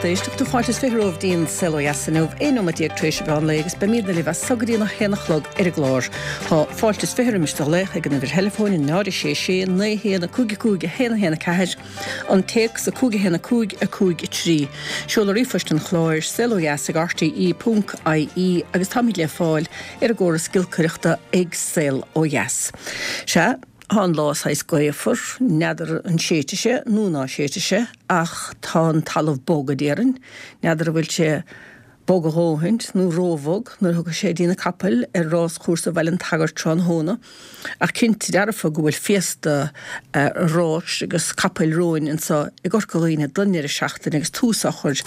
lucht éisteachta. Fáilte is 20 romhaibh dtí'n Saol Ó Dheas inniu, 11 nóiméad tar éis an mheán lae agus beimídne libh as so go dtí an 1 a chlog ar an gclár. Tá fáilte is 20 roimis do ghlaoch ag an uimhir theileafóin 0 6 6 9 1 5 5 1 1 4, an téacs 5 1 5 5 3. Seoladh ríomhphoist an chláir, saolodheas ag rte ponc ie agus táimid le fáil ar an gcóras giolcaireachta ag Saol Ó Dheas. Sea, tá an lá saghas gaofar, n'fheadar an séidfidh sé nó ná séidfidh sé ach tá an talamh bog a déarfainn, n'fheadar an bhfuil sé bog a dhóthaint nó róbhog nuair a thiocfaidh sé dtí na capaill ar ráschúrsa Bhaile an tSagairt tráthnóna. Ach cinnte dearfa go bhfuil féasta ráis agus capaill romhainn anseo i gCorca Dhuibhne don ndeireadh seachtaine agus tús á chur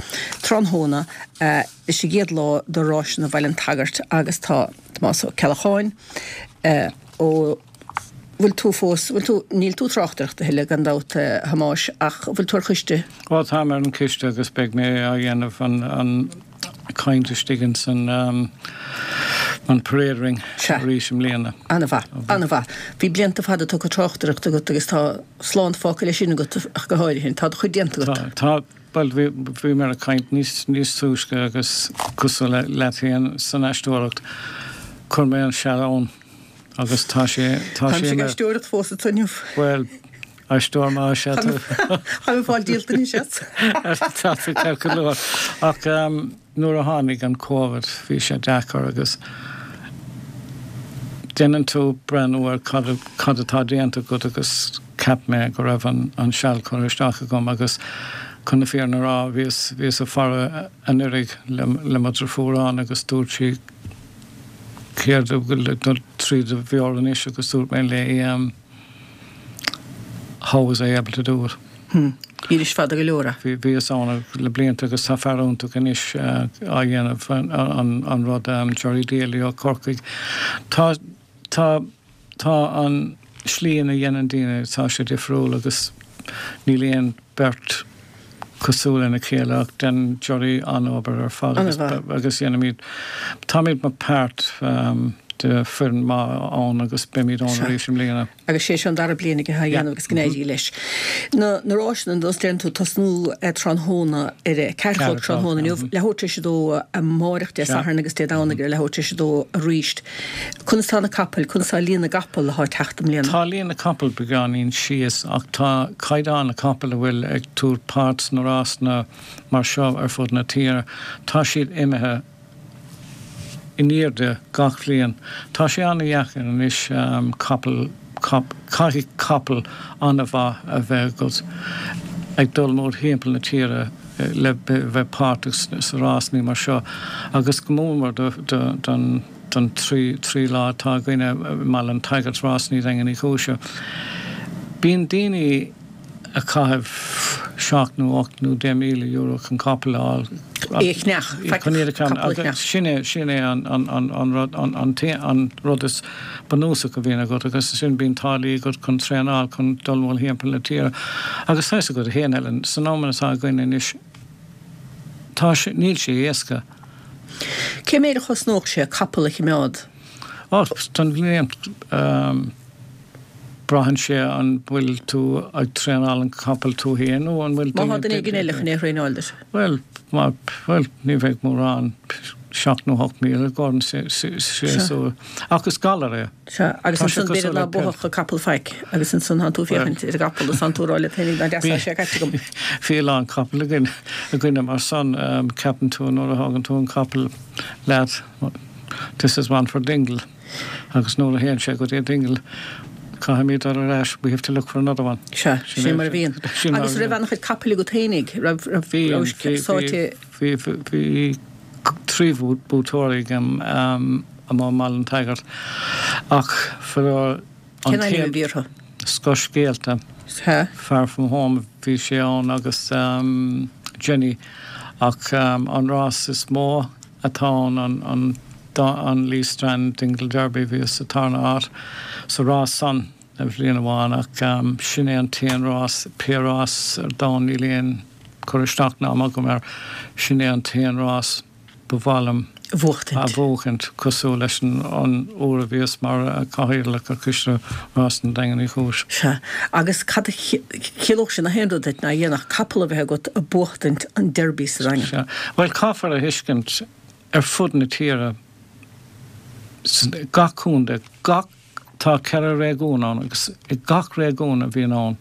tráthnóna leis an gcéad lá de ráiseanna Bhaile an tSagairt agus tá Tomás Ó Ceallacháin ó bhfuil tú fós, bhfuil tú, níl tú ag tráchtaireacht a thuilleadh gan dabht a Thomáis ach bhfuil tú ar choiste? Ó táim ar an coiste agus beidh mé á dhéanamh an, an caint istigh ins an, an parade ring Sea. arís i mbliana. An-mhaith, an-mhaith. Bhí blianta fada tugtha tráchtaireacht agat agus tá slán fágtha leis sin agat ach go háirithe. Tá do chuid déanta agat. Tá, tá, bhuel bhí, bhí mé ag caint níos, níos túisce agus cosúil le, leat féin san aisteoireacht, chuir mé an seal ann. Agus tá sé, tá sé ina. Táimse ag aisteoireacht fós anso inniu. Bhuel, aisteoir maith is ea tú. Táim ag fáil díolta anois as. Tá tú ceart go leor. Ach nuair a tháinig an Covid, bhí sé deacair agus déanann tú breathnú ar cad, cad atá déanta agat agus cheap mé go raibh an, an seal curtha isteach agam agus chun na fírinne a rá, bhíos, bhíos ag faire anuiridh le, le mo dhriofúr ann agus dúirt sí, céard a bhfuil ag dul trí do mheabhair anois agus dúirt mé léi how was I able to do it? Hmm. Bhís fada go leor. Bhí, bhíos ann le blianta agus tá fear iontach anois á dhéanamh an, an rud, Gerry Daly ó Corcaigh. Tá, tá. Tá an slí ina dhéanann daoine, tá sé difriúil agus níl aon beirt cosúil lena chéile ach déanann Gerry an-obair ar fad agus agus dhéanaimid, táimid mar páirt de foireann maith ann agus beimid ann arís i mbliana. Agus sé seo an dara bliain aige á dhéanamh agus go n-éirí leis. Na na ráiseanna, nós deireann tú, tosnú tráthnóna ar a ceathair a chlog tráthnóna inniu, leathuair tar éis a dó amáireach Dé Sathairn agus Dé Domhnaigh ar leathuair tar éis a dó arís. Conas tá na capaill, conas tá líon na gcapall atá ag teacht i mbliana? Tá líon na capall beagáinín síos ach tá caighdeán na capall a bhfuil ag tabhairt páirt sna rásanna mar seo ar fud na tíre, tá siad imithe in airde gach bhliain. Tá sé an-dheacair anois capall, caithfidh capall an-mhaith a bheith agat ag dul mórthimpeall na tíre le bheith páirteach sa rásanna mar seo agus go mór mór don don 3 lá atá againne i mBaile an tSagairt, Rásanna Dhaingean Uí Chúise. Bíonn daoine ag caitheamh 7 nó 8 nó 10,000 euro chun capall a fháil. É a cheannach, Chun iad a cheannach. capall a cheannach. Sin é, sin é an, an, an, an rud, an, an, an rud is bunúsach a bhíonn agat agus ansin bíonn táillí agat chun traenáil, chun dul mórthimpeall na tíre. Agus tá fhios agat féin, Helen, san am atá againn anois, tá sé, níl sé éasca. Cé méid a chosnódh sé capall a chimeád? Ó, don bhliain, braitheann sé an bhfuil tú ag traenáil an capall tú féin nó an bhfuil Má tá duine éigin eile chun é a thraenáil duit? Bhuel, má, bhuel, ní bheidh mórán, 7 nó 8,000 i gcomhair an séasúr. Ach is galar é. Sea, agus ansan b'fhéidir ná buafadh an capall faic, agus ansan thánn tú ag féachaint ar an gcapall is thánn tú ag rá leat féinig nár deas atá sé caite agam. Bhí a lán capall againn, againne mar san, ceapann tú nuair a thágann tú an capall leat, this is one for Dingle, agus nuair a théann sé go dtí Dingle, caithfimid dul ar ais, we have to look for another one. Sea, sin mar a bhíonn. Agus raibh an-chuid capaill agat fhéinig, raibh, raibh, raibh sáite. Bhí, bhí, bhí 3 buaiteoirí agam, amuigh i mBaile an tSagairt ach faraor an Cén ainm a bhí orthu? Scothscéalta. Sea. Far From Home bhí sé ann agus Jenny ach an rás is mó atá ann an an Lee Strand Dingle Derby bhíos sa tarna áit sa rás san bhliain amháin ach sin é an t-aon rás pé rás ar domhan níl aon cur isteach ná am agam air sin é an t-aon rás. ba mhaith liom a bhuachtaint. a bhuachaint, cosúil leis an uair a bhíos mar chathaoirleach ar Choiste Rásanna Daingean Uí Chúis. Sea. Agus cad a chiallódh sin ach aon rud duit ná a dhéanfadh capall a bheith agat ag buachtaint an Derby sa Daingean? Sea. Bhuel, caithfear a thuiscint, ar fud na tíre, gach contae, gach Tá 4 réigiún ann agus i gach réigiún a bhíonn ann,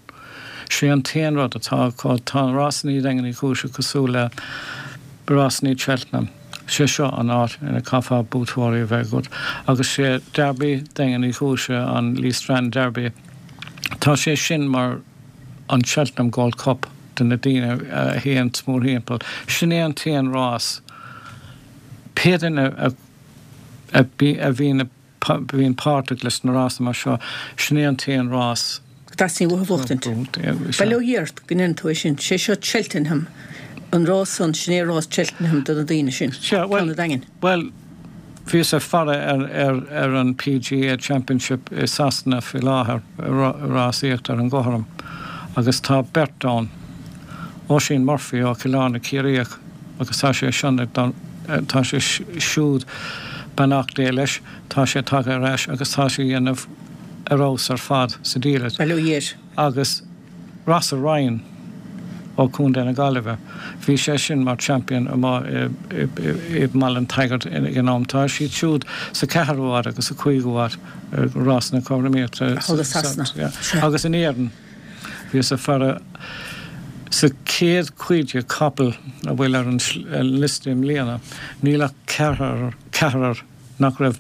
sé an t-aon rud atá acu, tá rásanna Dhaingean Uí Chúise cosúil le rásanna Cheltenham, sé seo an áit ina caithfeá buaiteoirí a bheith agat agus sé Derby Daingean Uí Chúise, an Lee Strand Derby, tá sé sin mar an Cheltenham Gold Cup do na daoine a théann mórthimpeall. Sin é an t-aon rás, pé duine a bhíonn a. bhíonn páirteach leis na rásanna mar seo, sin é an t-aon rás. go dteastaíonn uathu a bhuachtaint. Bail ó Dhia ort go ndeireann tú é sin. Sé seo Cheltenham, an rás san, sin é rás Cheltenham do na daoine sin, ceann an Daingin. Bhuel, bhíos ag faire ar an PGA Championship i Sasana faoi láthair, rásaíocht ar an gcothrom, agus tá beirt ann, Oisín Murphy ó Chill Airne Ciarraíoch, agus tá sé sin ag dul, tá sé siúd, beannacht Dé leis, tá sé tagtha ar ais agus tá sé a dhéanamh ar fheabhas ar fad sa diallait. Bail ó Dhia air. Agus Rossa Ryan ó Chontae na Gaillimhe, bhí sé sin mar champion amuigh i mBaile an tSagairt ag an am. Tá siad siúd sa cheathrú háit agus sa chúigiú háit i rás na cothromaíochta. Thall i Sasana. Agus in Éirinn. Bhíos ag faire sa 150 capall a bhfuil ar an liosta i mbliana, níl ach ceathrar nach raibh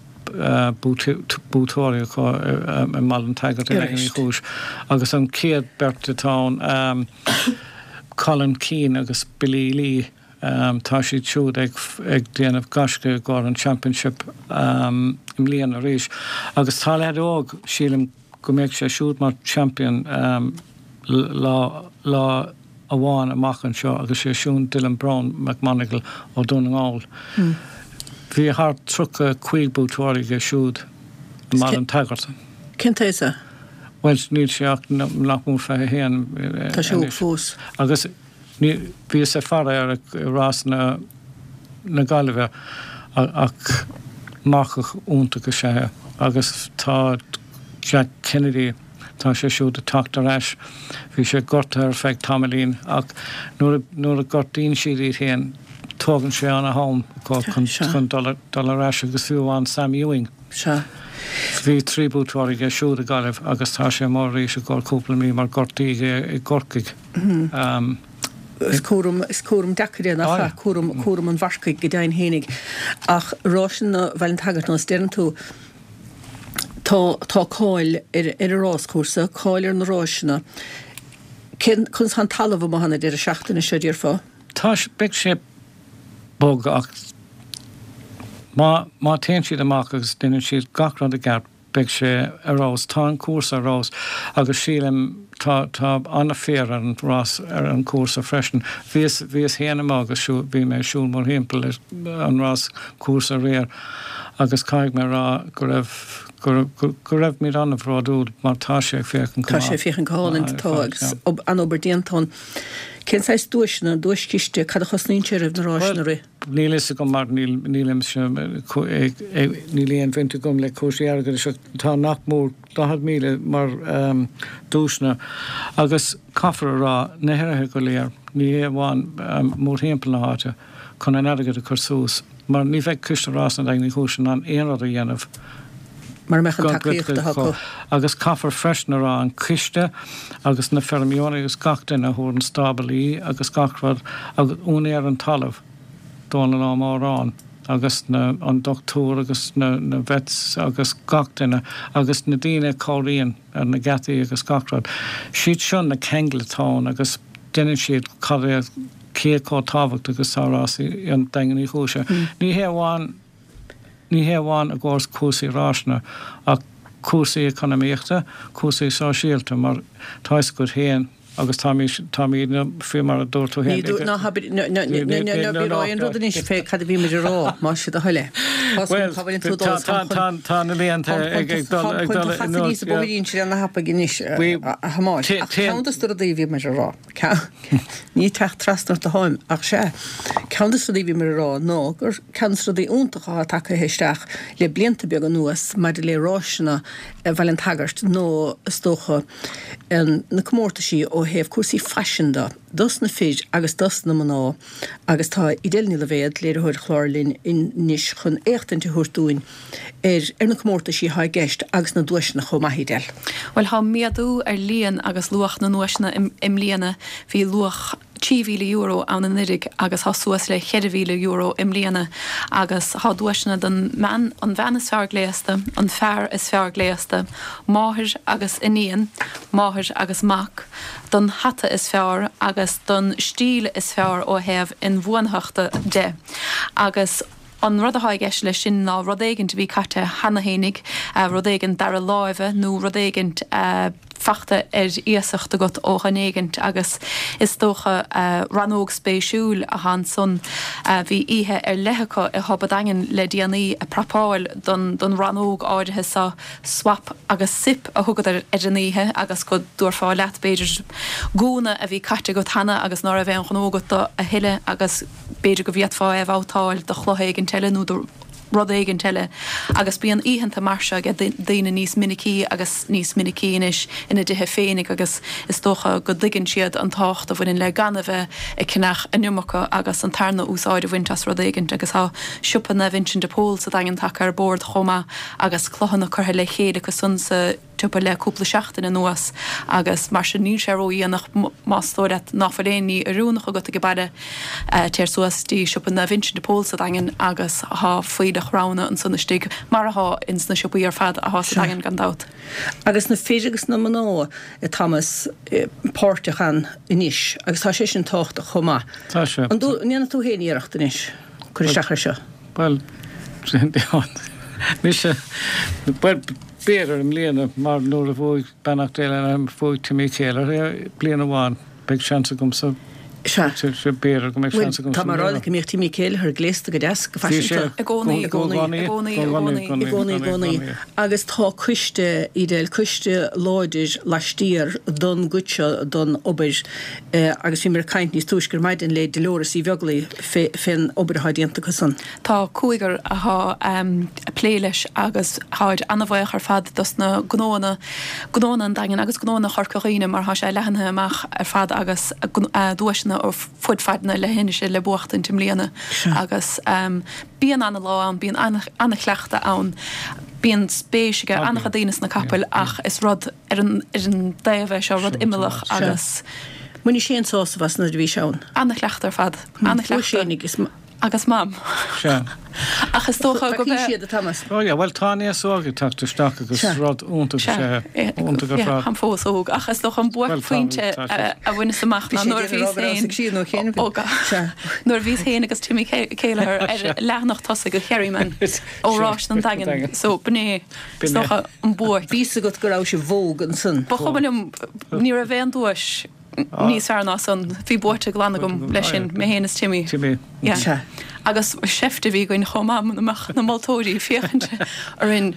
buaiteoirí acu i mBaile an tSagairt i nDaingean Uí Chúis agus an chéad beirt atá ann, Colin Keane agus Billy Lee, tá siad siúd ag déanamh gaisce i gcomhair an Championship i mbliana arís. Agus tá leaid óg, sílim, go mbeidh sé siúd mar champion lá lá amháin amach anseo agus sé siúd Dylan Browne McMonagle ó Dún na nGall. Bhí thart 35 buaiteoirí aige siúd i mBaile an tSagairt. Cén t-aois é? Bhuel níl sé ach nach mór 21 Tá sé óg fós. Agus Ní, bhíos ag faire air i rásanna na Gaillimhe ach marcach iontach is ea é agus tá Jack Kennedy, tá sé siúd ag teacht ar ais, bhí sé gortaithe ar feadh tamaillín ach nuair a, nuair a gortaíonn siad iad féin tógann sé ana-am chun, chun dul, dul ar ais agus fiú amháin Sam Ewing. Sea. Bhí 3 buaiteoir aige siúd i Gaillimh agus tá sé amuigh arís i gcomhair cúpla mí mar gortaíodh é i gCorcaigh. Is cúram, is cúram deacair é, nach ea? Cúram, cúram an mharcaigh go deimhin fhéinig. Ach rásanna Bhaile an tSagairt, nós deireann tú, tá, tá cáil ar, ar an ráschúrsa, cáil ar na ráiseanna. Cén, conas tá an talamh amuigh ann an deireadh seachtaine seo, déarfá? Tá, beidh sé bog ach má, má téann siad amach agus déanann siad gach rud i gceart, Beidh sé ar fheabhas. Tá an cúrsa ar fheabhas agus sílim tá tá an-fhéar ar an rás ar an cúrsa freisin. Bhíos bhíos féin amuigh agus siúl bhí mé ag siúl mórthimpeall an rás cúrsa aréir agus caithfidh mé a rá go raibh go go raibh muid an-bhródúil mar tá sé ag féachaint go maith. Tá sé ag féachaint go hálainn tá agus an-obair déanta ann. Cén saghas duaiseanna, duaischiste, cad a chosnaíonn sé roimh na ráiseanna a rith? Níl fhios agam mar níl nílimse níl aon bhaint agam le cúrsaí airgeadais ach tá nach mór 40,000 mar duaiseanna agus caithfear a rá na hurraithe go léir, ní hé amháin mórthimpeall na háite, chun an airgead a chur suas mar ní bheidh Coiste Rásanna Daingean Uí Chúis in ann aon rud a dhéanamh mura mbeadh an tacaíocht acu. Agus caithfear freisin a rá an coiste agus na feirmeoirí agus gach duine a thabharann stáblaí agus gach rud agus úinéir an talaimh, Dónal Ó Móráin agus na, an dochtúir agus na, na vets agus gach duine agus na daoine a chabhraíonn ar na geataí agus gach rud. Siad seo na ceangail atá ann agus déanann siad cad é, cé chomh tábhachtach is atá rásaí an Daingean Uí Chúise. Ní hé amháin, ní hé amháin i gcomhair cúrsaí ráiseanna ach cúrsaí eacnamaíochta, cúrsaí sóisialta mar tá fhios agat féin. Agus táimid, táimidne, faoi mar a dúirt tú féin, Ní dúirt, ná habair, ná, ná, ná, ná, ná bí ag rá aon rud anois fé cad a bhí muid a rá, más é do thoil é. Tá Bhuel, cá bhfuil tú dul, tá, tá, tá na blianta ag, ag dul, ag dul in anuas, níos bóithrín siar na hapaigh anois, a Thomáis. Ach ceann dos na rudaí a bhí muid a rá, ní teacht trasna ort atáim, ach sea, ceann dos na rudaí a bhí muid a rá ná gur ceann dos na rudaí iontacha atá tagtha isteach le blianta beaga anuas maidir le ráiseanna Bhaile an tSagairt nó is dócha, na comórtaisí ó thaobh cúrsaí faisin de, dos na fir agus dos na mná agus tá Edel Ní Loibhéad, léiritheoir an chláir linn anois chun éachtaint a thabhairt dúinn ar ar na comórtaisí atá i gceist agus na duaiseanna chomh maith, Edel. Bhuel, tá méadú ar líon agus luach na nduaiseanna i mbliana. Bhí luach. €3,000 ann anuiridh agus thá suas le €4,000 i mbliana agus thá duaiseanna don mbean, an bhean is fearr gléasta, an fear is fearr gléasta, máthair agus iníon, máthair agus mac, don hata is fearr agus don stíl is fearr ó thaobh inbhuanaitheachta de agus an rud athá i gceist leis sin ná rud éigint a bhí caite cheana fhéinig, rud éigint dara láimhe nó rud éigint a. fachta ar iasacht agat ó dhuine éigint agus is dócha rannóg spéisiúil athá ansan. Bhí oíche ar leith acu i bPub a' Daingin le déanaí ag prapáil don don rannóg áirithe so, Swap agus Sip a thugadar ar an oíche agus go dtabharfá leat b'fhéidir gúna a bhí caite agat cheana agus ná raibh aon ghnó agat do a thuilleadh agus b'fhéidir go bhféadfá é a bhabhtáil do chloch éigint eile nó do rud éigint eile agus bíonn oícheanta mar seo ag daoine níos minicí agus níos minicí anois ina dtithe féinig agus is dócha go dtuigeann siad an tábhacht a bhaineann le gan a bheith ag ceannach an iomarca agus an tarna úsáid a bhaint as rud éigint agus tá siopa Naomh Uinseann de Pól sa Daingean tagtha ar bord chomh maith agus clochanna curtha le chéile acu san sa tsiopa le cúpla seachtain anuas agus mar sin níl sé ródhéanach más dóigh leat ná fuil aon ní oiriúnach agat ag baile, téir suas dtí siopa Naomh Uinseann de Pól sa Daingean agus thá fuílleach roghanna ansan istigh mar athá ins na siopaí ar fad athá sa Daingean gan dabht. Agus na fir agus na mná, a Thomas, páirteach ann anois agus tá sé sin tábhachtach chomh maith. Tá sé. An ndéanfaidh tú féin iarracht anois cur isteach air seo? Bhuel, mise, bhuel, b'fhéidir i mbliana, mar nuair a bhuaigh, beannacht Dé lena anam, bhuaigh Timmy Kelleher bliain amháin, beidh seans agamsa, Sea. b'fhéidir go mbeidh seans agamsa Tá mé ag rá leat go mbíodh Timmy Kelleher gléasta go deas, go faiseanta. I gcónaí, i gcónaí, i gcónaí, i gcónaí. I gcónaí, i gcónaí. Agus tá coiste, Edel, coiste láidir laistiar don gcuid seo don obair agus bhíomar ag caint níos túisce ar maidin le Dolores Uí Bheaglaoi fén obair atá déanta acu san. Tá cúigear athá ag plé leis agus tháid ana-bhaoch ar fad dos na gnóanna, gnóanna an Daingin agus gnóanna Chorca Dhuibhne mar thá sé leathnaithe amach ar fad agus duaiseanna ó fud fad na leithinise le buachtaint i mbliana agus bíonn ana-lá ann, bíonn ana-chleachtadh ann, bíonn spéis ag ana-chuid daoine sna capaill ach is rud ar an dtaobh é seo, rud imeallach agus. Bhain Shane sásamh as nuair a bhí sé ann. Ana-chleachtadh ar fad, ana-chleachtadh. Agus Mam. Sea. Ach is dócha go mbeidh. siad, a Thomas. Oh yeah, bhuel tá an aos óg ag teacht isteach agus rud iontach is ea é. Iontach ar fad. Táim fós óg ach is dócha an buaicphointe a bhaineas amach ná nuair a bhíos féin óg. Nuair a bhíos féin agus Timmy Kelleher ar leathanach tosaigh an Kerryman ó Ráis an Daingin. So b'in é is dócha an buaic. Bhí fhios agat go raibh sibh vogue ansan. Ba chuma liom, ní raibh aon duais. níos fearr ná san. Bhí buaite glan agam leis sin, mé féin is Timmy. Timmy. Yeah. Sea. Agus seift a bhí againn chomh maith muna mbeadh na moltóirí ag féachaint orainn.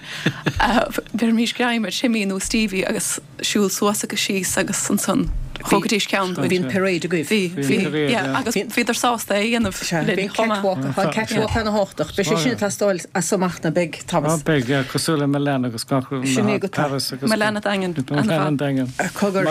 Bheirimís greim ar Timmy nó Stevie agus siúl suas agus síos agus ansan thógaidís ceann dúinn. Bhí an parade agaibh. Bhí, bhí. Yeah, agus bhíodar sásta é a dhéanamh linn chomh maith. Catwalk, tá catwalk ana-thábhachtach. Beidh sé sin ag teastáil as so amach ná beidh, Thomas? Á beidh, yeah, cosúil le Milan agus gach rud, Sin é go Paris agus. Milan an Daingin, Milan an Daingin. Cogar,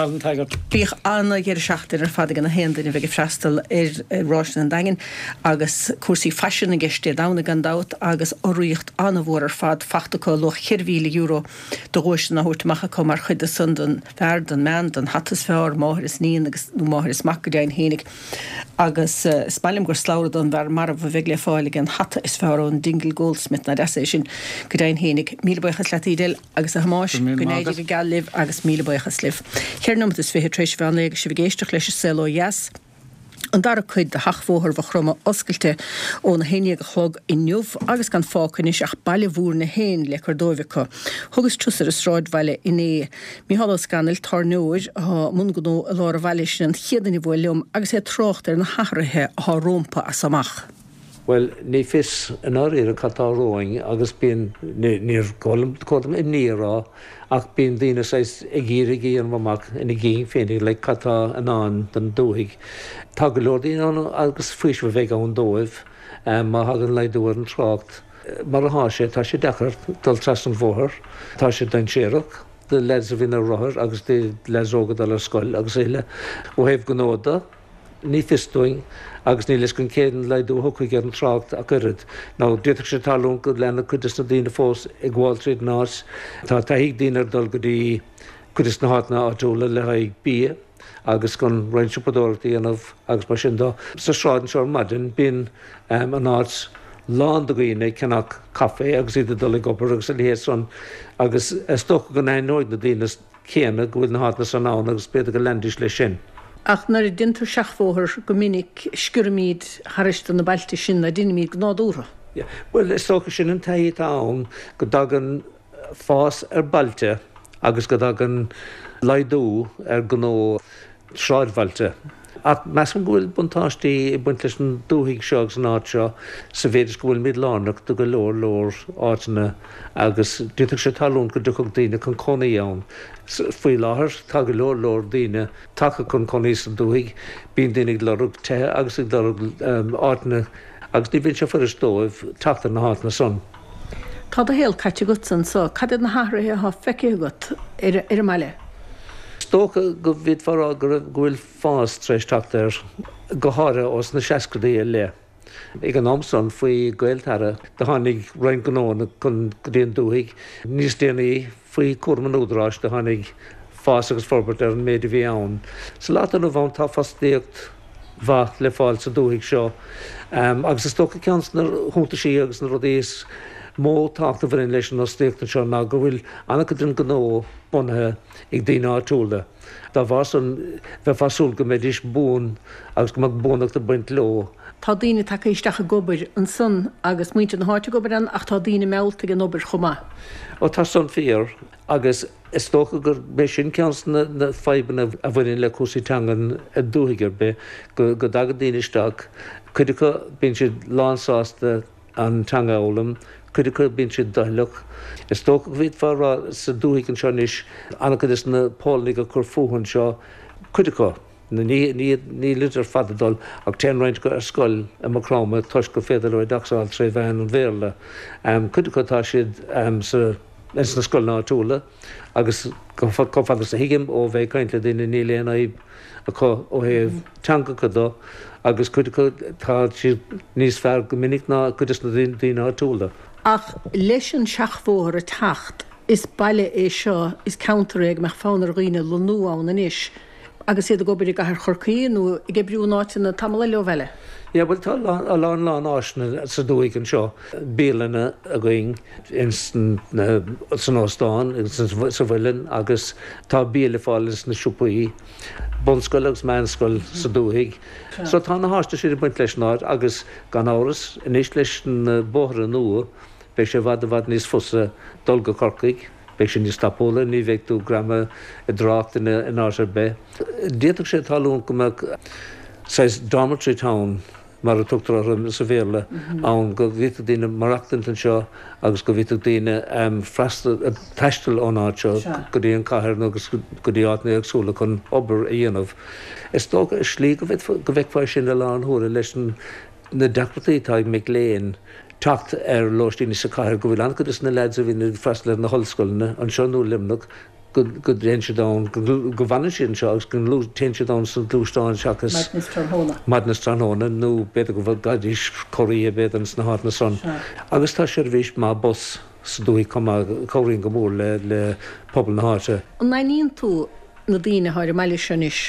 bíodh ana-dheireadh seachtaine ar fad ag na haon duine a bheidh ag freastal ar Ráiseanna an Daingin agus cúrsaí faisin i gceist Dé Domhnaigh gan dabht agus urraíocht ana-mhór ar fad fachta acu, luach €4,000 de dhuaiseanna á thabhairt amach acu mar chuid de san don bhfear, don mbean, don hata is fearr, máthair is iníon agus nó máthair is mac go deimhin fhéinig. Agus is maith liom gur slabhra don bhfear marbh a bheidh le fáil ag an hata is fearr ón Dingle Goldsmith, nach deas é sin, go deimhin fhéinig. Míle buíochas leat Edel agus a Thomáis, go n-éirí go geal libh agus míle buíochas libh. Cheithre nóimeat is fiche tar éis mheán lae agus sibh ag éisteacht leis An Saol Ó Dheas. An dara cuid de Sheachbhóthar Mhaigh Chromtha oscailte óna 11 a chlog inniu agus gan fágtha anois ach Baile Mhúirne féin le cur dóibh acu. Thugas turas ar an sráidbhaile inné. Micheál Ó Scanaill, tábhairneoir atá i mbun gnó i lár an bhaile, sin an chéad duine a bhuail liom agus é ag trácht ar na hathruithe atá rómpa as so amach. Bhuel, ní fios i ndáiríre cad tá romhainn agus bíonn, níor chóir dom imní a rá, ach bíonn daoine saghas ag iarraidh a dhéanamh amach ina gcinn féinig like cad tá i ndán don dúthaigh. Tá go leor daoine ann agus faoiseamh a bheidh ann dóibh má thagann laghdú ar an trácht. Mar atá sé, tá sé deacair dul trasna an bhóthair, tá sé dainséarach do leaids a bhíonn ar rothair agus do leaids óga ag dul ar scoil agus a thuilleadh. Ó thaobh gnó de, Ní fios dúinn, agus níl fhios againn cén laghdú a thiocfaidh ar an trácht ach oiread. Nó d'fhéadfadh sé tarlúint go leanfadh cuid des na daoine fós ag gabháil tríd an áit. Tá taithí ag daoine ar dul go dtí cuid des na háiteanna áitiúla le haghaidh bia agus chun roinnt siopadóireachta a dhéanamh agus mar sin de. Sa sráid anseo ar maidin bíonn an áit lán de dhaoine ag ceannach caife agus iad ag dul ag obair agus a leithéid san agus is dócha go n-aithneoidh na daoine céanna go bhfuil na háiteanna san ann agus b'fhéidir go leanfaidís leis sin. Ach nuair a déantar seachbhóthar, go minic sciorraimid thairis de na bailte sin ná deinimid go nádúrtha. Yeah. Bhuel, is dócha sin an taithí atá ann, go dtagann fás ar bailte agus go dtagann laghdú ar gnó sráidbhailte. Ach measaim go bhfuil buntáistí ag baint leis an dúthaigh seo agus an áit seo sa mhéid is go bhfuilimid lárnach do go leor leor áiteanna agus d'fhéadfadh sé tarlúint go dtiocfadh daoine chun cónaí ann. Faoi láthair tá go leor leor daoine tagtha chun cónaí sa dúthaigh. Bíonn daoine ag lorg tithe agus ag lorg áiteanna agus ní bhíonn sé fuirist dóibh teacht ar na háiteanna san. Tá do shaol caite agatsa anso. Cad iad na hathruithe atá feicthe agat ar an mbaile? Is dócha go bhféadfá a rá go raibh, go bhfuil fás tar éis teacht air, go háirithe ós na seascadaí i leith. Ag an am san, faoi Gaeltarra, do tháinig roinnt gnóanna chun, go dtí an dúthaigh. Níos déanaí, faoi chúram an Údaráis, do tháinig fás agus forbairt ar an méid a bhí ann. Sa lá atá inniu ann, tá fostaíocht mhaith le fáil sa dúthaigh seo agus is dócha ceann de na hiontaisí agus na rudaí is mó tábhacht a bhaineann leis an fhostaíocht anseo ná go bhfuil an-chuid den ghnó bunaithe ag daoine áitiúla. Dá bharr san, bheifeá ag súil go mbeidís buan agus go mbeadh buanacht ag baint leo. Tá daoine tagtha isteach ag obair ansan agus muintir na háite ag obair ann ach tá daoine meallta ag an obair chomh maith. Ó tá san fíor agus Is dócha gurb é sin ceann de na fadhbanna a bhaineann le cúrsaí teangan i dúthaigh ar bith, go dtagann daoine isteach, cuid acu bíonn siad lánsásta an teanga a fhoghlaim, cuid acu bíonn siad doicheallach. Is dócha go bhféadfá a rá sa dúthaigh anseo anois, an-chuid de na Pólannaigh ag cur fúthu anseo, cuid acu, nílid ar fad ag dul, ach téann roinnt acu ar scoil i Maigh Chromtha toisc gur féidir leo oideachas a fháil tré mheán an Bhéarla. Cuid acu tá siad sa. ins na scoileanna áitiúla agus chomh fada is a thuigim ó bheith ag caint le daoine níl aon fhadhb acu ó thaobh teangacha de agus cuid acu tá siad níos fearr go minic ná cuid des na daoine áitiúla. Ach leis an seachbhóthar ag teacht, is baile é seo, is ceantar é go mbeadh fonn ar dhaoine lonnú ann anois. agus iad ag obair i gcathair Chorcaí nó ag oibriú in áiteanna tamall eile ó bhaile. Yeah, bhuel tá a lán lán áiseanna sa dúthaigh anseo, bialanna againn ins na, san óstán, sa Mhuileann agus tá bia le fáil ins na siopaí, bunscoil agus meánscoil sa dúthaigh. So tá na háiseanna sin ag baint leis an áit agus gan amhras anois leis na bóithre nua beidh sé i bhfad i bhfad níos fusa dul go Corcaigh. Beidh sé níos tapúla, ní bheidh tú greamaithe i dtrácht in áit ar bith. D'fhéadfadh sé tarlúint go mbeadh saghas dormitory town, mar a tugtar orthu sa Bhéarla, ann, go bhféadfadh daoine maireachtaint anseo agus go bhféadfadh daoine freastal, taisteal ón áit seo go dtí an chathair nó go dtí áiteanna éagsúla chun obair a dhéanamh. Is dócha, i slí, go bhfeicfeá é sin i láthair na huaire leis na deacrachtaí atá ag mic léinn teacht ar lóistíní sa chathair, go bhfuil an-chuid de na leaids a bhíonn ag freastal ar na hollscoileanna anseo nó i Luimneach, go dtéann siad ann, go bhfanann siad anseo agus go dtéann siad ann sna gluaisteáin seachas Maidin is tráthnóna. maidin is tráthnóna nó b'fhéidir go bhfaighidís corroíche b'fhéidir ins na háiteanna san. Agus tá seirbhís maith bus sa dúthaigh chomh maith a chabhraíonn go mór le le pobal na háite. An aithníonn tú na daoine atá ar an mbaile seo anois?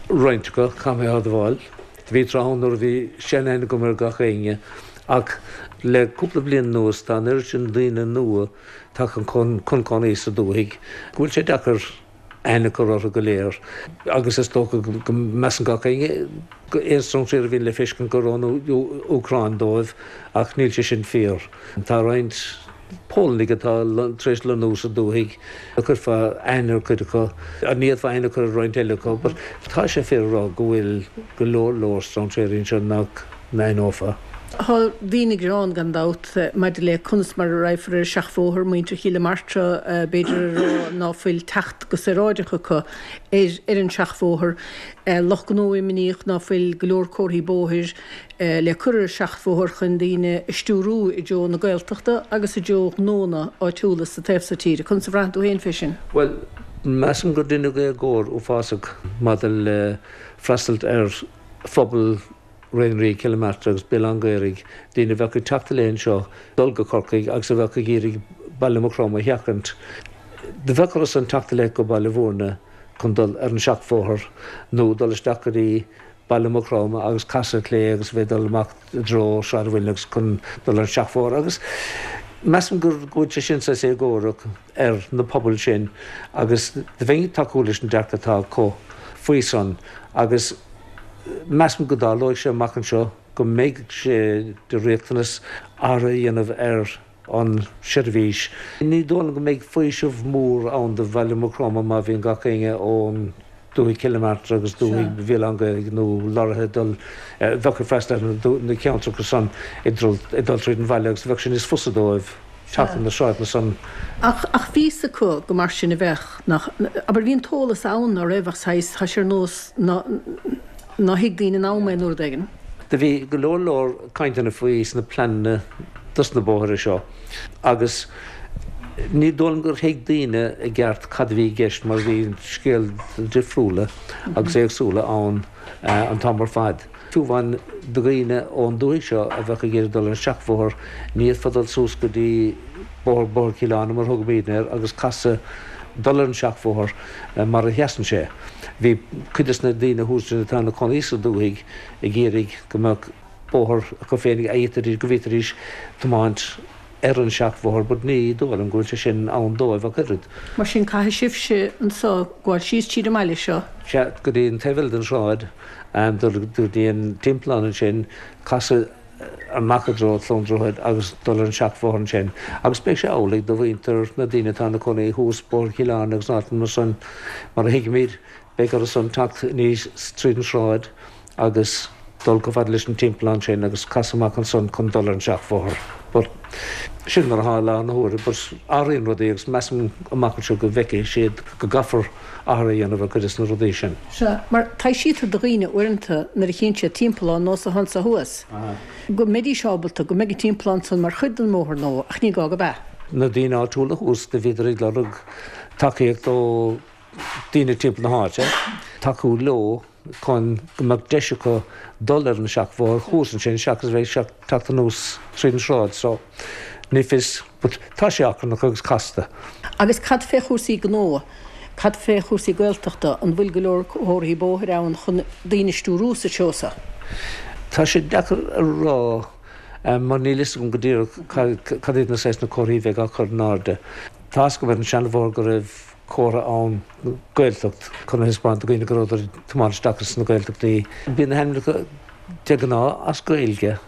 Roinnt acu, caithfidh mé a admháil. Bhí tráth ann nuair a bhí seanaithne agam ar gach éinne ach le cúpla bliain anuas tá an oiread sin daoine nua tagtha chun cónaí sa dúthaigh go bhfuil sé deacair. aithne a chur orthu go léir agus is dócha go measann gach éinne aon strainséir a bhíonn le feiscint gur ón Úcráin dóibh ach níl sé sin fíor. Tá roinnt Pólannaigh atá tar éis lonnú sa dúthaigh, chuirfeá aithne ar chuid acu, ní fhéadfá aithne a chur ar roinnt eile acu but tá sé fíor a rá go bhfuil go leor leor strainséirí anseo nach n-aithneofá. Tá daoine ag gearán, gan dabht, maidir le conas mar a raghfar ar an seachbhóthar, muintir Chill Martra, b'fhéidir, a rá ná fuil teacht go saoráideach acu ar ar an seachbhóthar, lucht gnó imníoch ná fuil go leor comharthaí bóthair le cur ar an seachbhóthar chun daoine a stiúrú i dtreo na Gaeltachta agus i dtreo gnónna áitiúla sa taobh so tíre. Conas a bhraitheann tú féin fé sin? Bhuel, measaim gur deineadh éagóir uafásach maidir le freastalt ar phobal Rinn Riaig, Cill Martra agus Béal Átha an Ghaorthaidh, daoine a bheadh ag teacht i leith anseo, dul go Corcaigh agus a bheadh ag iarraidh Baile Mhucroma a sheachaint. Do bheadh orthu san teacht i leith go Baile Bhúirne chun dul ar an seachbhóthar nó dul isteach go dtí Baile Mhucroma agus casadh clé agus a bheith ag dul amach i dtreo Sráid an Mhuilinn agus chun dul ar an seachbhóthar agus measaim go bhfuil sé sin saghas éagórach ar na pobail sin agus do bheinn ag tacú leis an dearcadh atá acu faoi san agus Measaim go dtarlóidh sé amach anseo go mbeidh sé de riachtanas athrú a dhéanamh ar an seirbhís. Ní dóigh liom go mbeidh faoiseamh mór ann do Bhaile Mhucroma má bhíonn gach éinne ón dúthaigh Chill Martra agus dúthaigh Bhéal Átha an Ghaorthaidh nó lorraithe ag dul, a bheadh ag freastal ar na ceantracha san ag dul tríd an bhaile agus bheadh sé níos fusa dóibh. teacht ar na sráideanna san. Ach, ach bhí 'fhios acu go mar sin a bheadh, nach, abair, bhí an t-eolas ann, ná raibh, ach saghas, tá sé ar nós ná, ná thuig daoine in am é nó rud éigin. Do bhí go leor leor cainteanna faoi sna pleananna dos na bóithre seo agus ní dóigh liom gur thuig daoine i gceart cad a bhí i gceist mar bhí scéalta difriúla agus éagsúla ann an t-am ar fad. Fiú amháin do dhaoine ón dúthaigh seo a bheadh ag iarraidh dul ar an seachbhóthar, ní fhéadfá dul suas go dtí bóthar Bóthar Chill Airne mar a thugaimidne air agus casadh dul ar an seachbhóthar mar a sheasann sé. Bhí cuid des na daoine thuas ansin atá ina cónaí sa dúthaigh ag iarraidh go mbeadh bóthar acu féin a fhéadfaidís, go bhféadfaidís tiomáint ar an seachbhóthar but ní dóigh liom go bhfuil sé sin ann dóibh ach oiread. Mar sin caithfidh sibhse anso gabháil síos tríd an mbaile seo. Sea, go dtí an taobh eile den sráid, dul go dtí an timpeallán ansin, casadh amach i dtreo Chluain Droichead agus dul ar an seachbhóthar ansin. Agus beidh sé amhlaidh do mhuintir na daoine atá ina cónaí thuas Bóthar Chill Airne agus in áiteanna mar san, mar a thuigimid, beidh orthu san teacht aníos tríd an sráid agus dul chomh fada leis an timpeallán sin agus casadh amach ansan chun dul ar an seachbhóthar. But sin mar atá i láthair na huaire. But athraíonn rudaí agus measaim amach anseo go bhfeicfidh siad go gcaithfear athrú a dhéanamh ar chuid des na rudaí sin. Sea, mar taibhsítear do dhaoine uaireanta nuair a chíonn siad timpeallán nós atá anso thuas, go mbeidís ábalta, go mbeidh an timpeallán san mar chuid den mbóthar nó, ach ní gá go ea. Na daoine áitiúla thuas, do bhíodar ag lorg tacaíocht ó daoine timpeall na háite, tacú leo chun go mbeadh deis acu dul ar an seachbhóthar thuas ansin seachas a bheith ag teacht anuas tríd an sráid so ní fios but tá sé achrannach agus casta. Agus cad fé chúrsaí gnó? Cad fé chúrsaí Gaeltachta? An bhfuil go leor comharthaí bóthair ann chun daoine a stiúrú sa treo so? Tá sé deacair a rá mar níl fhios agam go díreach cad iad na saghas na comharthaí a bheidh á cur in airde. Tá fhios agam ar an seanbhóthar go raibh comhartha ann Gaeltacht chun a thaispeáint do dhaoine go rabhadar ag tiomáint isteach sna Gaeltachtaí. Bíonn na hainmneacha de ghnáth as Gaeilge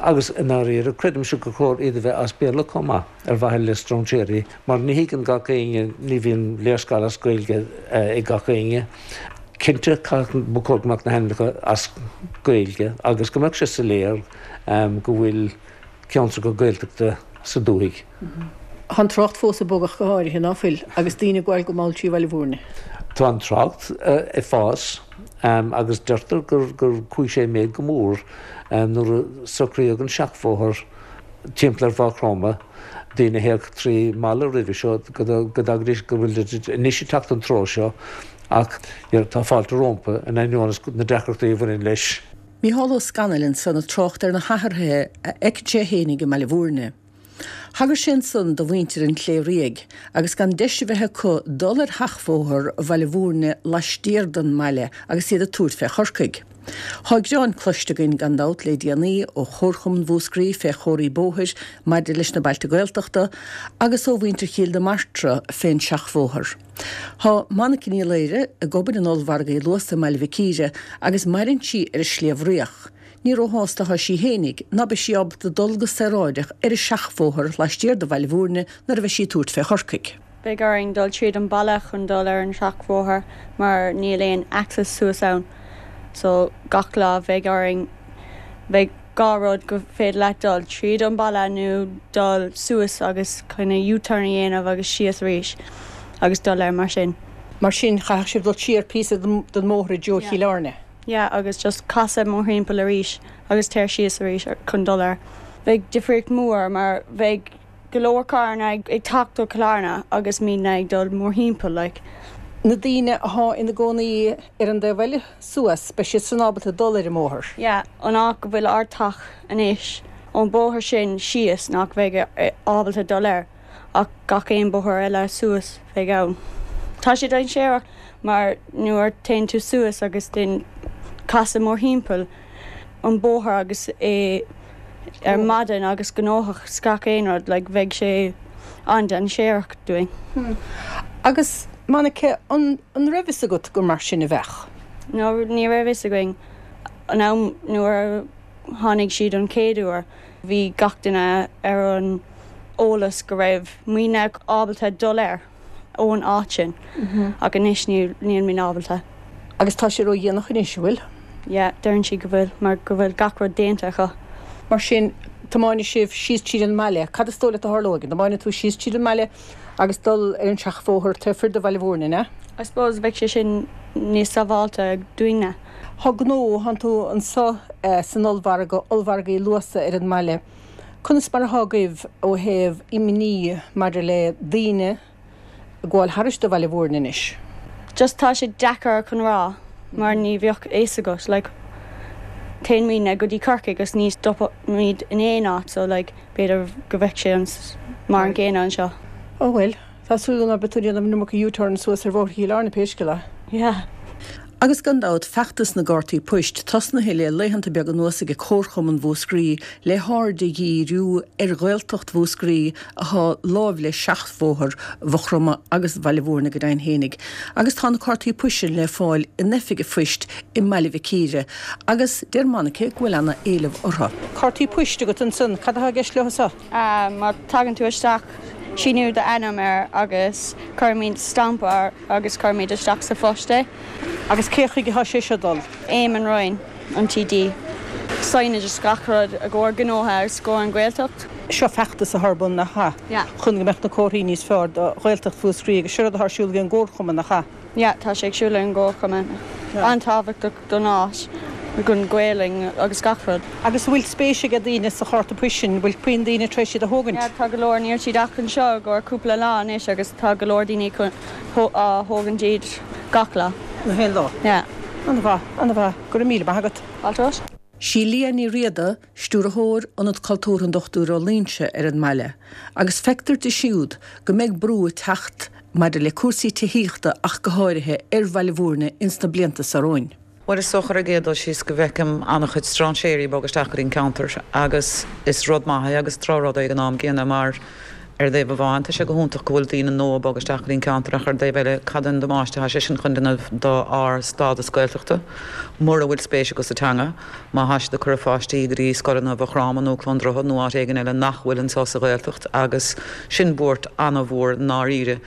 agus i ndáiríre creidimse gur chóir iad a bheith as Béarla chomh maith ar mhaithe le stróinséirí mar ní thuigeann gach éinne, ní bhíonn léarscáil as Gaeilge ag gach éinne. Cinnte ba chóir go mbeadh na hainmneacha as Gaeilge agus go mbeadh sé soiléir go bhfuil ceantracha Gaeltachta sa dúthaigh. Tá an trácht fós ag bogadh go háirithe, ná fuil, agus daoine ag gabháil go mall trí Bhaile Bhúirne. Tá an trácht ag fás agus deirtear gur chuaigh sé i méid go mór nuair a socraíodh an seachbhóthar timpeall ar Mhaigh Chromtha, daoine a théadh trí Mala roimhe seo go dtagaidís, go bhfuil anois ag teacht an treo seo ach tá fáilte rompu in ainneoin na deacrachtaí a bhaineann leis. Mícheál Ó Scanaill ansan ag trácht ar na hathruithe a fheiceann sé fhéinig i mBaile Bhúirne. Thagair sé ansan do mhuintir an Chléirigh agus gan deis a bheith acu dul ar sheachbhóthar Bhaile Bhúirne laistiar den mbaile agus iad ag tabhairt fé Chorcaigh. Tá gearáin cloiste againn gan dabht le déanaí ó Chomharchumann Mhúscraí fé chomharthaí bóthair maidir leis na bailte Gaeltachta agus ó mhuintir Chill na Martra fén seachbhóthar. Tá Monica Ní Laoire ag obair in Ollmhargadh Uí Luasa i mBaile Mhic Íre agus maireann sí ar an Sliabh Riach. Ní róshásta atá sí fhéinig ná beidh sí ábalta dul go saoráideach ar an seachbhóthar laistiar de Bhaile Bhúirne nuair a bheidh sí ag tabhairt fé Chorcaigh. Beidh orainn dul tríd an baile chun dul ar an seachbhóthar mar níl aon access suas ann so gach lá bheidh orainn bheidh 2 rud go féidir leat dul tríd an baile nó dul suas agus kind of U-turn a dhéanamh agus síos arís agus dul air mar sin. Mar sin chaithfeadh sibh dul siar píosa den mbóthar i dtreo Chill Airne. Yeah agus just casadh mórthimpeall arís agus téir síos arís chun dul air. Bheidh difríocht mór mar bheidh go leor carranna ag teacht ó Chill Airne agus muidne ag dul mórthimpeall like. Na daoine athá ina gcónaí ar an dtaobh eile suas, beidh siad san ábalta dul ar an mbóthar. Yeah, an áit go bhfuil ár teach anois, ón bóthar sin síos nach bheidh ábalta dul air ach gach aon bóthar eile suas bheidh ann. Tá sé dainséarach mar nuair téann tú suas agus then casadh mórthimpeall an bóthar agus é ar maidin agus gnóthach 's gach aon rud like bheidh sé an-dainséarach dúinn. Agus Monica, an an raibh fhios agat gur mar sin a bheadh? No, ní raibh fhios againn. An am nuair a tháinig siad an chéad uair bhí gach duine ar an eolas go raibh muidne ábalta dul air ón áit sin ach anois níl muid ábalta. Agus tá sé ró-dhéanach anois, an bhfuil? Yeah, deireann siad go bhfuil mar go bhfuil gach rud déanta acu. Mar sin, tiomáinfidh sibh síos tríd an mbaile. Cad is dóigh leat a tharlóidh? An dtiomáinfidh tú síos tríd an mbaile agus dul ar an seachbhóthar taobh thoir de Bhaile Bhúirne, an ea? I suppose bheadh sé sin níos sábháilte dúinne. Tá gnó, thánn tú anso san ollmhargadh, Ollmhargadh Uí Luasa ar an mbaile. Conas mar athá agaibh ó thaobh imní maidir le daoine ag gabháil thairis do Bhaile Bhúirne anois? Just tá sé deacair chun rá mar ní bheadh fhios agat like téann muidne go dtí Corcaigh agus ní stopaimid in aon áit so like b'fhéidir go bheadh sé mar an gcéanna anseo. Ó bhuel. Tá súil agam ná beidh tú ag déanamh an iomarca U-turn suas ar Bhóthar Chill Airne pé scéal é. Yeah. Agus gan dabht, feachtas na gcártaí poist tosnaithe le laethanta beaga anuas ag Comharchumann Mhúscraí le haird a dhíriú ar Ghaeltacht Mhúscraí athá láimh le seachbhóthar Mhaigh Chromtha agus Bhaile Bhúirne go deimhin fhéinig. Agus tá na cártaí poist sin le fáil in oifig a phoist i mBaile Mhic Íre agus deir Monica go bhfuil ana éileamh orthu. Cártaí poist agat ansan, cad athá i gceist leo so? Má tagann tú isteach, síniú d'ainm air agus cuirimid stampa air agus cuirimid isteach sa phost é. Agus cé chuige atá sé seo dul? Éamon Ryan, an TD. Signage is gach rud i gcomhair gnótha agus i gcomhair an Ghaeltacht. Seo feachtas atá ar bun, nach ea? Yeah. Chun go mbeadh na comharthaí níos fearr do Ghaeltacht Mhúscraí agus seo rud atá ar siúl ag an gComharchumann, nach ea? Yeah, tá sé ag siúl ag an gComharchumann. An-tábhachtach don áit, don Ghaelainn agus gach rud. Agus an bhfuil spéis ag daoine sa chárta poist sin? An bhfuil puinn daoine tar éis iad a thógaint? Yeah, tá go leor. Níl siad ach anseo i gcomhair cúpla lá anois agus tá go leor daoine á thógaint iad gach lá. Gach aon lá? Yeah. An-mhaith, an-mhaith. Go raibh míle maith agat. Fáilte romhat. Sí Liadh Ní Riada, Stiúrthóir Ionad Cultúrtha an Dochtúir Ó Loingsigh ar an mbaile, agus feictear di siúd go mbeidh brú ag teacht maidir le cúrsaí tithíochta ach go háirithe ar Bhaile Bhúirne ins na blianta seo romhainn. Bhuel, is dócha ar an gcéad dul síos go bhfeicim an-chuid strainséirí ag bogadh isteach go dtí an ceantar agus is rud maith é agus drochrud é ag an am gcéanna mar ar thaobh amháin tá sé go hiontach go bhfuil daoine nua ag bogadh isteach go dtí an ceantar ach ar an dtaobh eile cad é an damáiste atá sé sin chun déanamh do ár stádas Gaeltachta mura bhfuil spéis acu sa teanga. Má thá siad ag cur a pháistí go dtí scoileanna Mhaigh Chromtha nó Cluain Droichead nó áit éigin eile nach bhfuil anseo sa Ghaeltacht agus sin buairt ana-mhór i ndáiríre.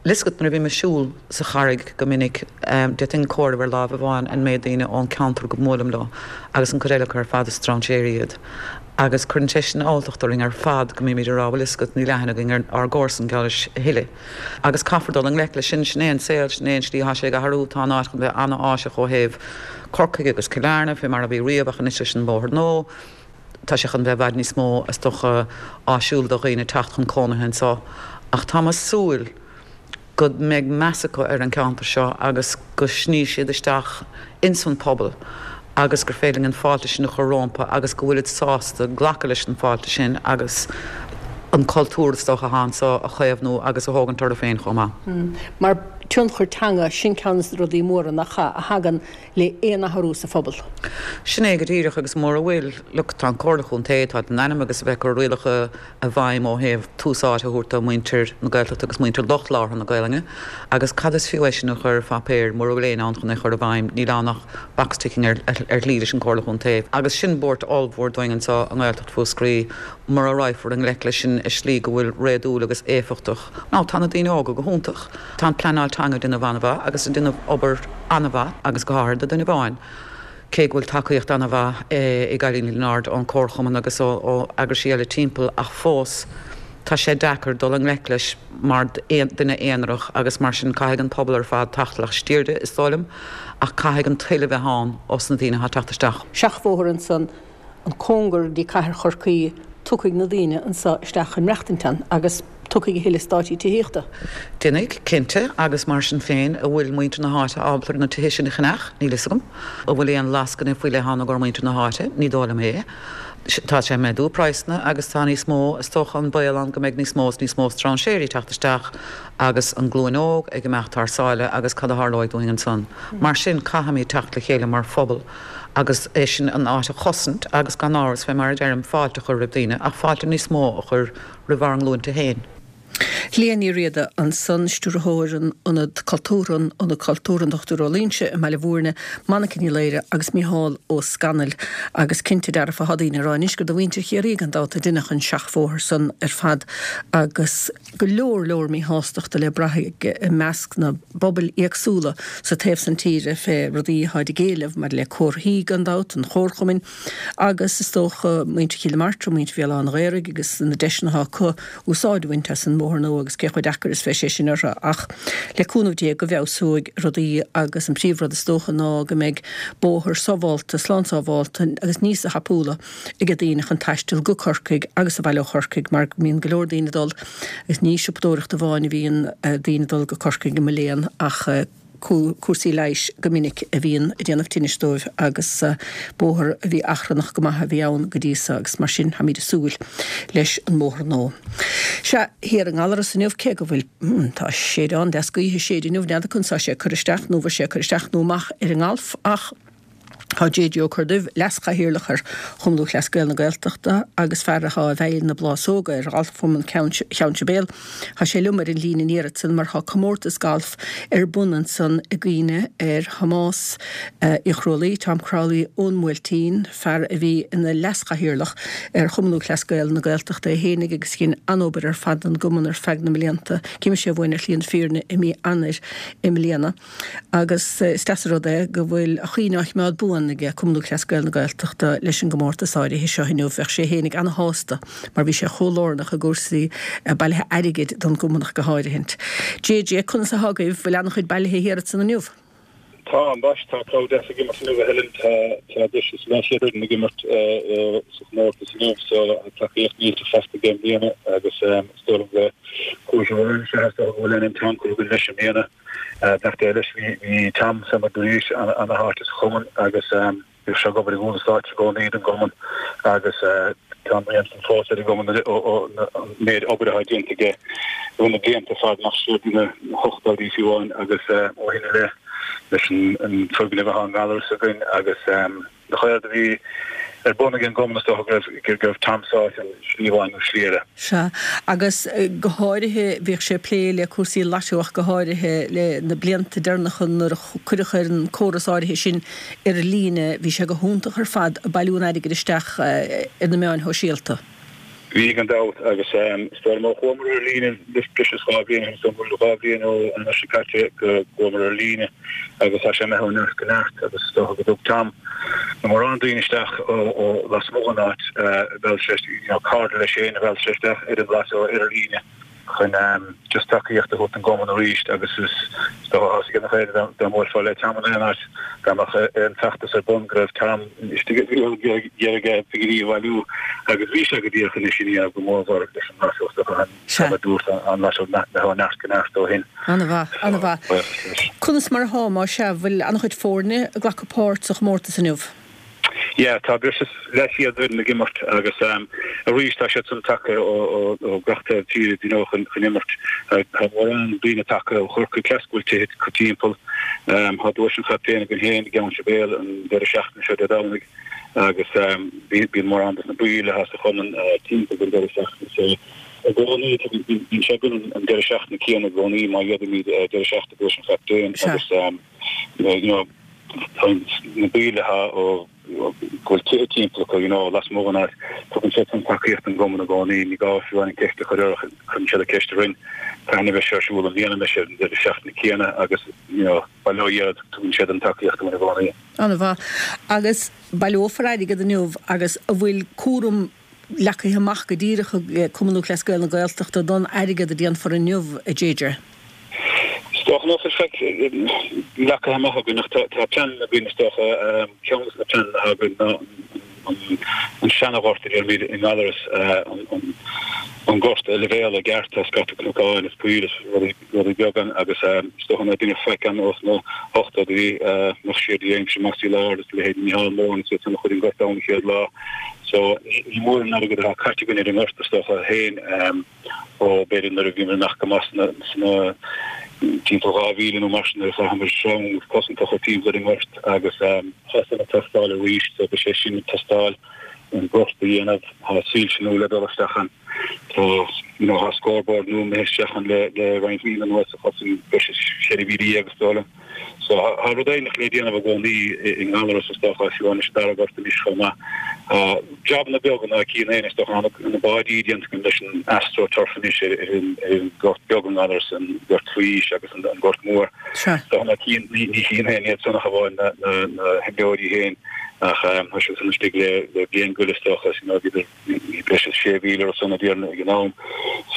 Bhfuil fhios agat nuair a bhím ag siúl sa Charraig go minic d'fhéadfainn comhaireamh ar láimh amháin an méid daoine ón ceantar go mbuailim leo agus an cuid eile acu ar fad is strainséirí iad. Agus cuireann sé sin alltacht orainn ar fad go mbímid ag rá bhfuil fhios agat níl aithne againn ar ár gcomharsan geall leis a thuilleadh. Agus caithfear dul i ngleic leis sin, sin é an saol, sin é an slí atá sé ag athrú, tá an áit chun bheith ana-áiseach ó thaobh Corcaigh agus Cill Airne fé mar a bhí riamh ach anois leis an bóthar nua tá sé chun bheith i bhfad níos mó is dócha áisiúil do dhaoine teacht chun cónaithe anseo. Ach táim ag súil go mbeidh meas acu ar an ceantar seo agus go sní siad isteach ins an pobal agus gur féidir linn an fáilte sin a chur rómpa agus go bhfuilid sásta glacadh leis an fáilte sin agus an cultúr is dócha atá anseo a chaomhnú agus a thógaint orthu féin chomh maith. Mar. Tionchar teanga, sin ceann de na rudaí móra nach ea, a thagann le aon athrú sa phobal. Sin é go díreach agus mura bhfuil, look, tá an Comhairle Chontae, tá in ainm agus a bheith ag cur rialacha i bhfeidhm ó thaobh tús áite a thabhairt do mhuintir na Gaeltachta agus muintir lucht labhartha na Gaelainne agus cad is fiú é sin a chur ar phaipéar mura bhfuil éinne ann chun é a chur i bhfeidhm, níl ann ach box ticking ar shlí leis an Comhairle Chontae. Agus sin buairt ollmhór dúinn anseo i nGaeltacht Mhúscraí mura raghfar i ngleic leis sin i slí go bhfuil réadúil agus éifeachtach. Now tá na daoine óga go hiontach, tá an pleanáil teanga ag déanamh an-mhaith agus ag déanamh obair an-mhaith agus go háirithe do dhuine amháin. Cé go bhfuil tacaíocht an-mhaith i gCailíní Lionáird ón Comharchumann agus ó eagraisí eile timpeall ach fós tá sé deacair dul i ngleic leis mar duine aonarach agus mar sin caithfidh an pobal ar fad teacht laistiar de is dóigh liom ach caithfidh an toil a bheith ann os na daoine atá ag teacht isteach. Seachbhóthar ansan an cóngar go dtí cathair Chorcaí, tiocfaidh na daoine anso isteach chun maireachtaint ann agus tiocfaidh a thuilleadh eastáití tithíochta. Déanfaidh, cinnte, agus mar sin féin, an bhfuil muintir na háite ábalta ar na tithe sin a cheannach? Níl fhios agam. An bhfuil aon lascaine faoi leith ann i gcomhair muintir na háite? Ní dóigh liom é. Tá sé ag méadú praghsanna agus tá níos mó, is dócha, an baol ann go mbeidh níos mó is níos mó strainséirí ag teacht isteach agus an glúin óg ag imeacht thar sáile agus cad a tharlóidh dúinn ansan? Mar sin, caithfimid teacht le chéile mar phobal agus é sin an áit a chosaint agus gan amhras, fé mar a deirim, fáilte a chur roimh daoine ach fáilte níos mó a chur roimh ár nglúinte féin. Liadh Ní Riada ansan, Stiúrthóir an Ionad Cultúrtha, an Ionad Cultúrtha an Dr Ó Loingsigh i mBaile Bhúirne, Monica Ní Laoire agus Micheál Ó Scanaill. Agus cinnte dearfa tá daoine ag rá anois gur do mhuintir Chiarraí gan dabht a deineadh an seachbhóthar san ar fad agus go leor leor míshástachta le brath i measc na bpobail éagsúla sa taobh san tíre fé rudaí atáid ag éileamh maidir le comharthaí gan dabht, an chomharchumainn agus is dócha muintir Chill na Martra, muintir Bhéal Átha an Ghaorthaidh agus na deiseanna atá acu úsáid a bhaint as an mbóthar nua agus cé chomh deacair is bheidh sé sin orthu ach le cúnamh Dé go bhfeabhsóidh rudaí agus an príomhrud is dócha ná go mbeidh bóthar sábhálta, slán sábhálta agus níosa thapúla ag daoine chun taisteal go Corcaigh agus abhaile ó Chorcaigh mar go mbíonn go leor daoine ag dul agus ní siopadóireacht amháin a bhíonn daoine ag dul go Corcaigh i mo léan ach cúrsaí leighis go minic a bhíonn ag déanamh tinnis dóibh agus bóthar a bhí achrannach go maith a bhí ann go dtí so agus mar sin táimid ag súil leis an mbóthar nua. Sea, thiar i nGallaras inniu cé go bhfuil, tá séideán deas gaoithe ag séideadh inniu, n'fheadar conas tá sé ag cur isteach nó bhfuil sé ag cur isteach nó amach ar an ngalf ach, Tá JJ Ó Corrduibh, Leas-Chathaoirleach ar Chumann Lúthchleas Gael na Gaeltachta agus fear atá i bhfeighil na bplásóga ar Ghalfchumann Cheann Sibéal, tá sé liom ar an líne an iarraidh san mar tá comórtas gailf ar bun ansan i gcuimhne ar Thomás Uí Chrualaoi, Tom Crowley ón mBuailtín, fear a bhí ina Leas-Chathaoirleach ar Chumann Lúthchleas Gael na Gaeltachta é fhéinig agus dhein an-obair ar fad don gcumann ar feadh na mblianta. D'imigh sé uainn ar shlí na fírinne i mí Eanáir i mbliana. Agus is deas an rud é go bhfuil a chuimhne á choimeád buan ag Cumann Lúthchleas Gael na Gaeltachta leis an gcomórtas áirithe seo inniu. Bheadh sé fhéinig ana-shásta mar bhí sé chomh lárnach i gcúrsaí bailithe airgid don gcumann ach go háirithint. JJ, conas atá agaibh? Bhfuil ana-chuid bailithe thiar ansan inniu? Tá, ambaist. Tá crowd deas ag imirt inniu, a Helen. Tá tá breis is leathchéad foireann ag imirt sa chomórtas inniu so tacaíocht millteach faighte aige i mbliana agus is dóigh liom go chuaigh sé ó sé is dócha go bhfuil an Tom curtha leis i mbliana. Beannacht Dé leis, bhí Tom fé mar dúraís ana-tháite sa chumann agus bhíodh sé ag obair i gcúl an stáitse i gcónaí don gcumann agus tá an rian san fós ar an gcumann an méid obair atá déanta aige i rith na blianta ar fad amach siar go dtí na hochtóidí fiú amháin agus ó shin i leith leis an foirgneamh atá i nGallaras againn agus Na ceird a bhí ar bun ag an gcumann is dócha go raibh go raibh Tom sáite ann slí amháin nó slí eile. Sea, agus go háirithe bhíodh sé ag plé le cúrsaí lotto ach go háirithe le na blianta deireanacha nuair a cuireadh ar an córas áirithe sin ar líne bhí sé go hiontach ar fad ag bailiú an airgid isteach ar na meáin shóisialta. Bhí gan dabht agus is dóigh liom ó chuamar ar líne breis is 2 bhliain ó shin, is dóigh 2 bhliain ó Eanáir seo caite go gcuamar ar líne agus tá sé imithe ó neart go neart agus is dócha go dtug Tom na mórán daoine isteach ó lasmuigh den áit a mheall sé, you know, cairde leis féin a mheall sé isteach ar an lotto ar líne. chun just tacaíocht a thabhairt don gcumann arís agus is dócha tá a fhios ag gach éinne dá mbuailfeá le Tom in aon áit dá mbeadh aon feachtas ar bun go raibh Tom istigh ag iarraidh pinginí a bhailiú agus bhí sé go díreach anois ina dhiaidh go mórmhór leis an lotto is dócha an a dúirt an lotto ó neart go neart ó shin. An-mhaith, an-mhaith. Conas mar atá, más ea, bhfuil an-chuid foirne ag glacadh páirt sa chomórtas inniu? Yeah, tá breis is leathchéad foireann ag imirt agus arís tá siad san tagtha ó gach taobh tíre you know chun imirt. Tá mórán daoine tagtha ó Chorcaigh cleas go bhfuil tithe acu timpeall. Tá duais an chaptaein againn féin i gCeann Sibéal an deireadh seachtaine seo Dé Domhnaigh agus bíonn mórán dos na baill atá sa chumann timpeall don deireadh seachtaine so i gcónaí bíonn sé againn an deireadh seachtaine céanna i gcónaí má d'fhéadfaimid deireadh seachtaine duais an chaptaein agus you know tá na baill atá ó go bhfuil tithe timpeall acu you know lasmuigh den áit tugann siad san tacaíocht don gcumann i gcónaí ní gá fiú an ceist a chur orthu cuireann siad an ceist orainn cathain a bheidh sé ar siúl i mbliana an mbeidh sé an deireadh seachtaine céanna agus you know bail ó Dhia orthu tugann siad an tacaíocht dúinn i gcónaí. An-mhaith. Agus baileofar airgead inniu agus an bhfuil cúram leagtha amach go díreach ag Cumann Lúthchleas Gael na Gaeltachta don airgead a déanfar inniu, a JJ? Is dócha nach bhfuil faic leagtha amach againn ach tá pleananna againn is dócha. Ceann de na pleananna atá againn ná an seana-ghort a deirimid i nGallaras, an gort a leibhéaladh i gceart, tá scata cnocáin is poill is rudaí. rudaí beaga ann agus is dócha nach raibh duine faic ann ós na hochtóidí nach siar de aimsir Mossy Lord is leithéidí Micheál Moran is iad san a chuir an gort ann an chéad lá. So ní mór an airgead atá caite againn ar an ngort is dócha féin ó b'fhéidir nuair a bhíomar amach go maith sna sna timpeall 2000 nó mar sin nuair a chaitheamar sreang cosanta a chur timpeall ar an ngort agus tá san ag teastáil arís so beidh sé sin ag teastáil an gort a dhéanamh tá soilse nua le dul isteach ann. Tá, you know, tá scoreboard nua imithe isteach ann le, le roinnt míonna anuas a chosain breis is 14,000 is dóigh liom. So tá rud éigin le déanamh i gcónaí i nGallaras is dócha, fiú anois an dara gort anois chomh maith. Tá jabanna beaga ná cíonn éinne is dócha, tá na báidí déanta againn leis an Astro Turf anois ar an, ar an gort beag i nGallaras, an gort faoi aois agus an, an gort mór. So ná cíonn, ní, ní chíonn éinne iad san ach amháin na, na, na himreoirí féin ach tá siad san istigh le, le bliain go leith is dócha, you know, bhíodar Bhí breis is 6,000 ar son a dtiarna ag an am.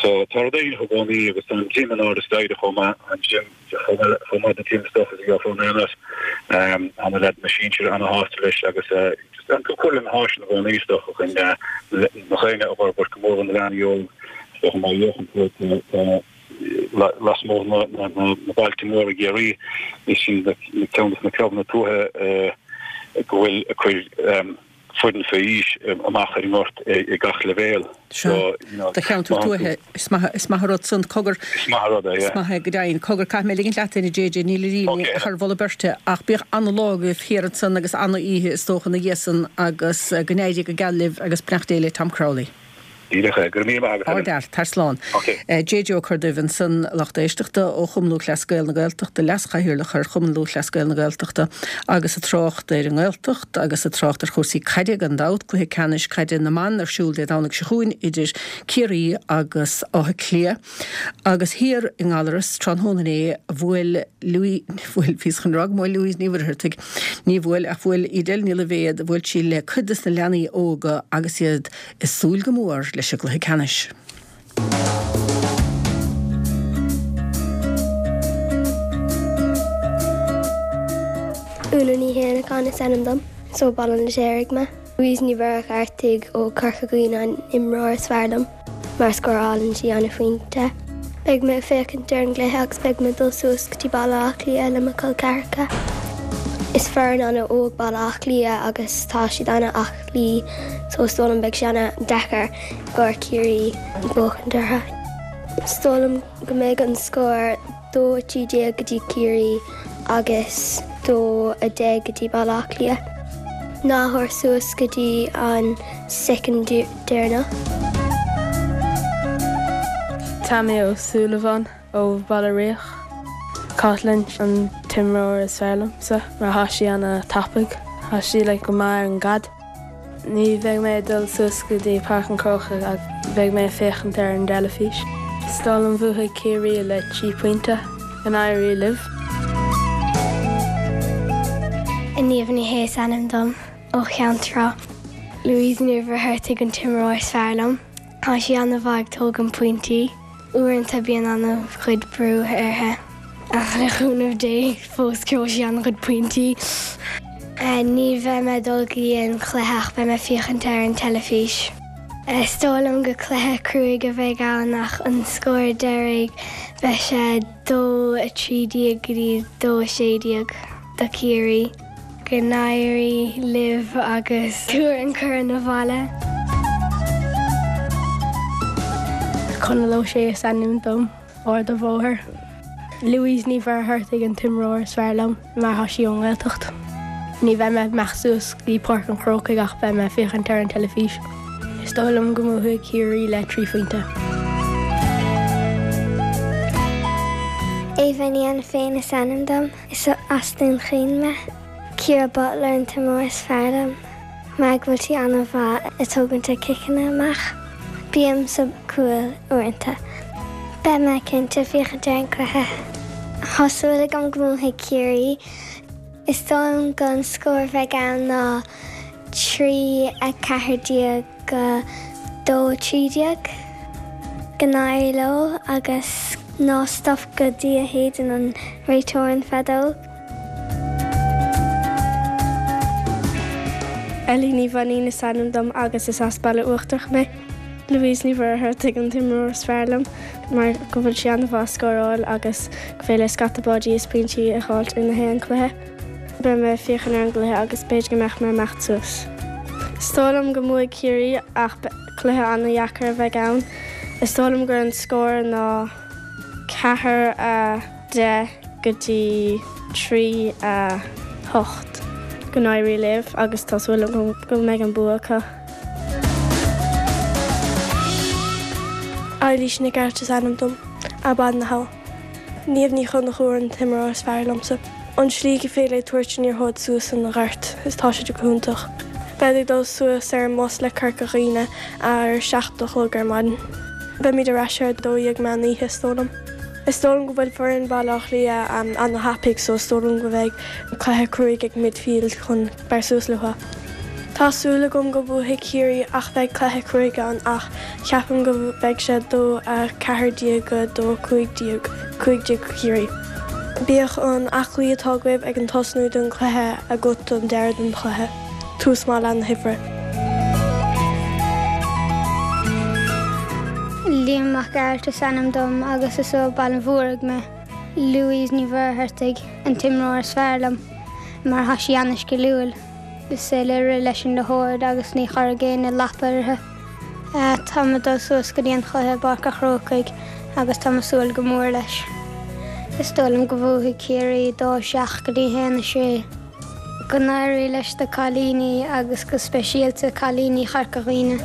So tá rud éigin i gcónaí agus tá an gym in airde staighre chomh maith, an gym chomh maith don gym is dócha is a gheofar in aon áit. Tá na leaideanna sinsir ana-shásta leis agus just an cur le na háiseanna i gcónaí is dócha chun na daoine a fhorbairt go mór na leanaí óg is dócha má fhéachann tú tá lasmuigh na bailte móra i gCiarraí is sin ceann de na clubanna tuaithe go bhfuil ag cur foireann faoi aois amach ar an ngort ag gach leibhéal. Sea, do cheantar tuaithe, is maith, is maith an rud san. Cogar, Is maith an rud é, yeah. Is maith é go deimhin. Cogar, caithfidh mé ligint leat féin, a JJ, níl a rian ach ar mholadh beirte, ach bíodh ana-lá agaibh thiar ansan agus ana-oíche is dócha ina dhiaidh san agus go n-éirí go geal libh agus beannacht Dé le Tom Crowley. Díreach é. Go raibh míle maith agat, Helen. Ardfhear. Tar slán. Ok. JJ Ó Corrduibh ansan, lucht éisteachta ó Chumann Lúthchleas Gael na Gaeltachta, Leas-Chathaoirleach ar Chumann Lúthchleas Gael na Gaeltachta agus ag trácht ar an nGaeltacht agus ag trácht ar chúrsaí caide gan dabht, cluiche ceannais caide na mban ar siúl Dé Domhnaigh seo chugainn idir Ciarraí agus Áth Cliath. Agus thiar i nGallaras tráthnóna inné bhuail Louis, bhuail, bhíos chun rá go mbuail Louise Ní Mhuircheartaigh, ní bhuail ach bhuail Edel Ní Loibhéad, bhuail sí le cuid des na leanaí óga agus iad ag súil go mór leis an gcluiche ceannais. Úna Ní Shéanacháin is ainm dom. Is ó Baile an Fheirtéaraigh mé. Louise Ní Mhuircheartaigh ó Corca Dhuibhne an imreoir is fearr liom mar scórálann sí an-phointe. Beidh mé ag féachaint ar an gcluiche agus beidh mé ag dul suas go dtí Baile Átha Cliath le mo chol ceathracha. Is foireann an-óg Baile Átha Cliath agus tá siad an-aclaí so is dóigh liom beidh sé an-deacair i gcomhair Ciarraí buachaint orthu. Is dóigh liom go mbeidh an scór 2, 13 go dtí Ciarraí agus 2, 10 go dtí Baile Átha Cliath. Ná tabhair suas go dtí an soicind deireanach. Tommy Ó Súilleabháin ó Bhaile Riach. Caitlin an t-imreoir is fearr liomsa mar thá sí ana tapaidh. Thá sí like go maith ar an gcaid. Ní bheidh mé ag dul suas go dtí Páirc an Chrócaigh ach beidh mé ag féachaint ar an dteilifís. Is dóigh liom bhuafaidh Ciarraí le 3 pointe. Go n-éirí libh. Niamh Ní Shé is ainm dom, ó Cheann Trá. Louise Ní Mhuircheartaigh an t-imreoir is fearr liom. Tá sí an-mhaith ag tógaint pointí. Uaireanta bíonn an-chuid brú uirthi. Ach le cúnamh Dé fós gheobhaidh sí an-chuid pointí. Ní bheidh mé ag dul go dtí an chluiche ach beidh mé ag féachaint ar an teilifís. Is dóigh liom go cluiche cruaidh a bheidh ann ach an scór deiridh beidh sé 2, 13 go dtí 2, 16 do Ciarraí. Go n-éirí libh agus tabhair an corn abhaile. Conall Ó Sé is ainm dom, Ard an Bhóthair. Louise Ní Mhuircheartaigh an t-imreoir is fearr liom mar tá sí ón nGaeltacht. Ní bheidh mé ag imeacht suas go dtí Páirc an Chrócaigh ach beidh mé ag féachaint ar an teilifís. Is dóigh liom go mbuafaidh Ciarraí le 3 phointe. Eva Ní Ainiféin is ainm dom. Is as Dún Chaoin mé. Ciara Butler an t-imreoir is fearr liom mar go bhfuil sí an-mhaith ag tógaint a ciceanna amach. Bím sa cúl uaireanta. Beidh mé cinnte ag féachaint ar an cluiche. Tá súil agam go mbuafaidh Ciarraí. Is dóigh liom go an scór a bheidh ann ná 3, 14 go 2, 13. Go n-éirí leo agus ná stop go dtí a shéideann an réiteoir an feadóg. Ellie Ní Mhainín is ainm dom agus is as Baile Uachtarach mé. Louise Ní Mhuircheartaigh an t-imreoir is fearr liom mar go bhfuil sí an-mhaith ag scóráil agus go féidir léi scata báidí is pointí a dh'fháilt i ngach aon cluiche. Beidh mé ag féachaint ar an gcluiche agus b'fhéidir go mbeadh mé ag imeacht suas. Is dóigh liom go mbuafaidh Ciarraí ach cluiche an-dheacair a bheidh ann. Is dóigh liom gur an scór ná 4, 10 go dtí 3, 8. Go n-éirí libh agus tá súil agam go mbeidh an bua acu. Eilís Nic Airt is ainm dom, as Baile na hAbha. Niamh Ní Chonchúir an t-imreoir is fearr liomsa. An slí go féidir léi tabhairt an liathróid suas an ghort is tá sé go hiontach. Bead ag dul suas ar an mbus le Corca Dhuibhne ar a 7 a chlog ar maidin. Beimid ar ais ar 12 meán oíche is dóigh liom. Is dóigh liom go bhfuil foireann Baile Átha Cliath ana-thapaidh so is dóigh liom go bheidh cluiche cruaidh ag midfield chun beir suas leo. Tá súil agam go mbuafaidh Ciarraí ach beidh cluiche cruaidh ann ach ceapaim go mbeidh sé 2 14 go 2 15, 15 Ciarraí. Bíodh an aclaí atá agaibh ag an tosnú den chluiche agat don deireadh den chluiche. Tús maith leath na hoibre. Liam Mac Gearailt is ainm dom agus is ó Baile an Mhúraigh mé. Louise Ní Mhuircheartaigh an t-imreoir is fearr liom mar tá sí ana-sciliúil. Is féidir léi rith leis an liathróid agus ní chuirfidh éinne lapa uirthi. Táim ag dul suas go dtí an chluiche i bPáirc a' Chrócaigh agus táim ag súil go mór leis. Is dóigh liom go bhuafaidh Ciarraí 2 7 go dtí 1 6. Go n-éirí leis na cailíní agus go speisialta cailíní Chorca Dhuibhne.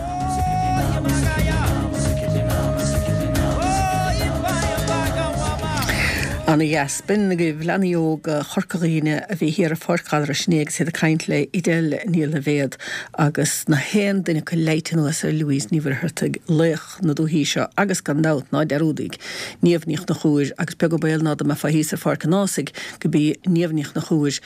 Ana dheas. B'in agaibh leanaí óga Chorca Dhuibhne a bhí thiar i Pháirc Ghallarais inné agus iad ag caint le Edel Ní Loibhéad agus na haon duine acu leighte anuas ar Louise Ní Mhuircheartaigh, laoch na dúichí seo agus gan dabht, ná dearúdaíg, Niamh Ní Chonchúir agus beag an baol ná dá mbeifeá thíos ar Pháirc an Ághasaigh go b'í Niamh Ní Chonchúir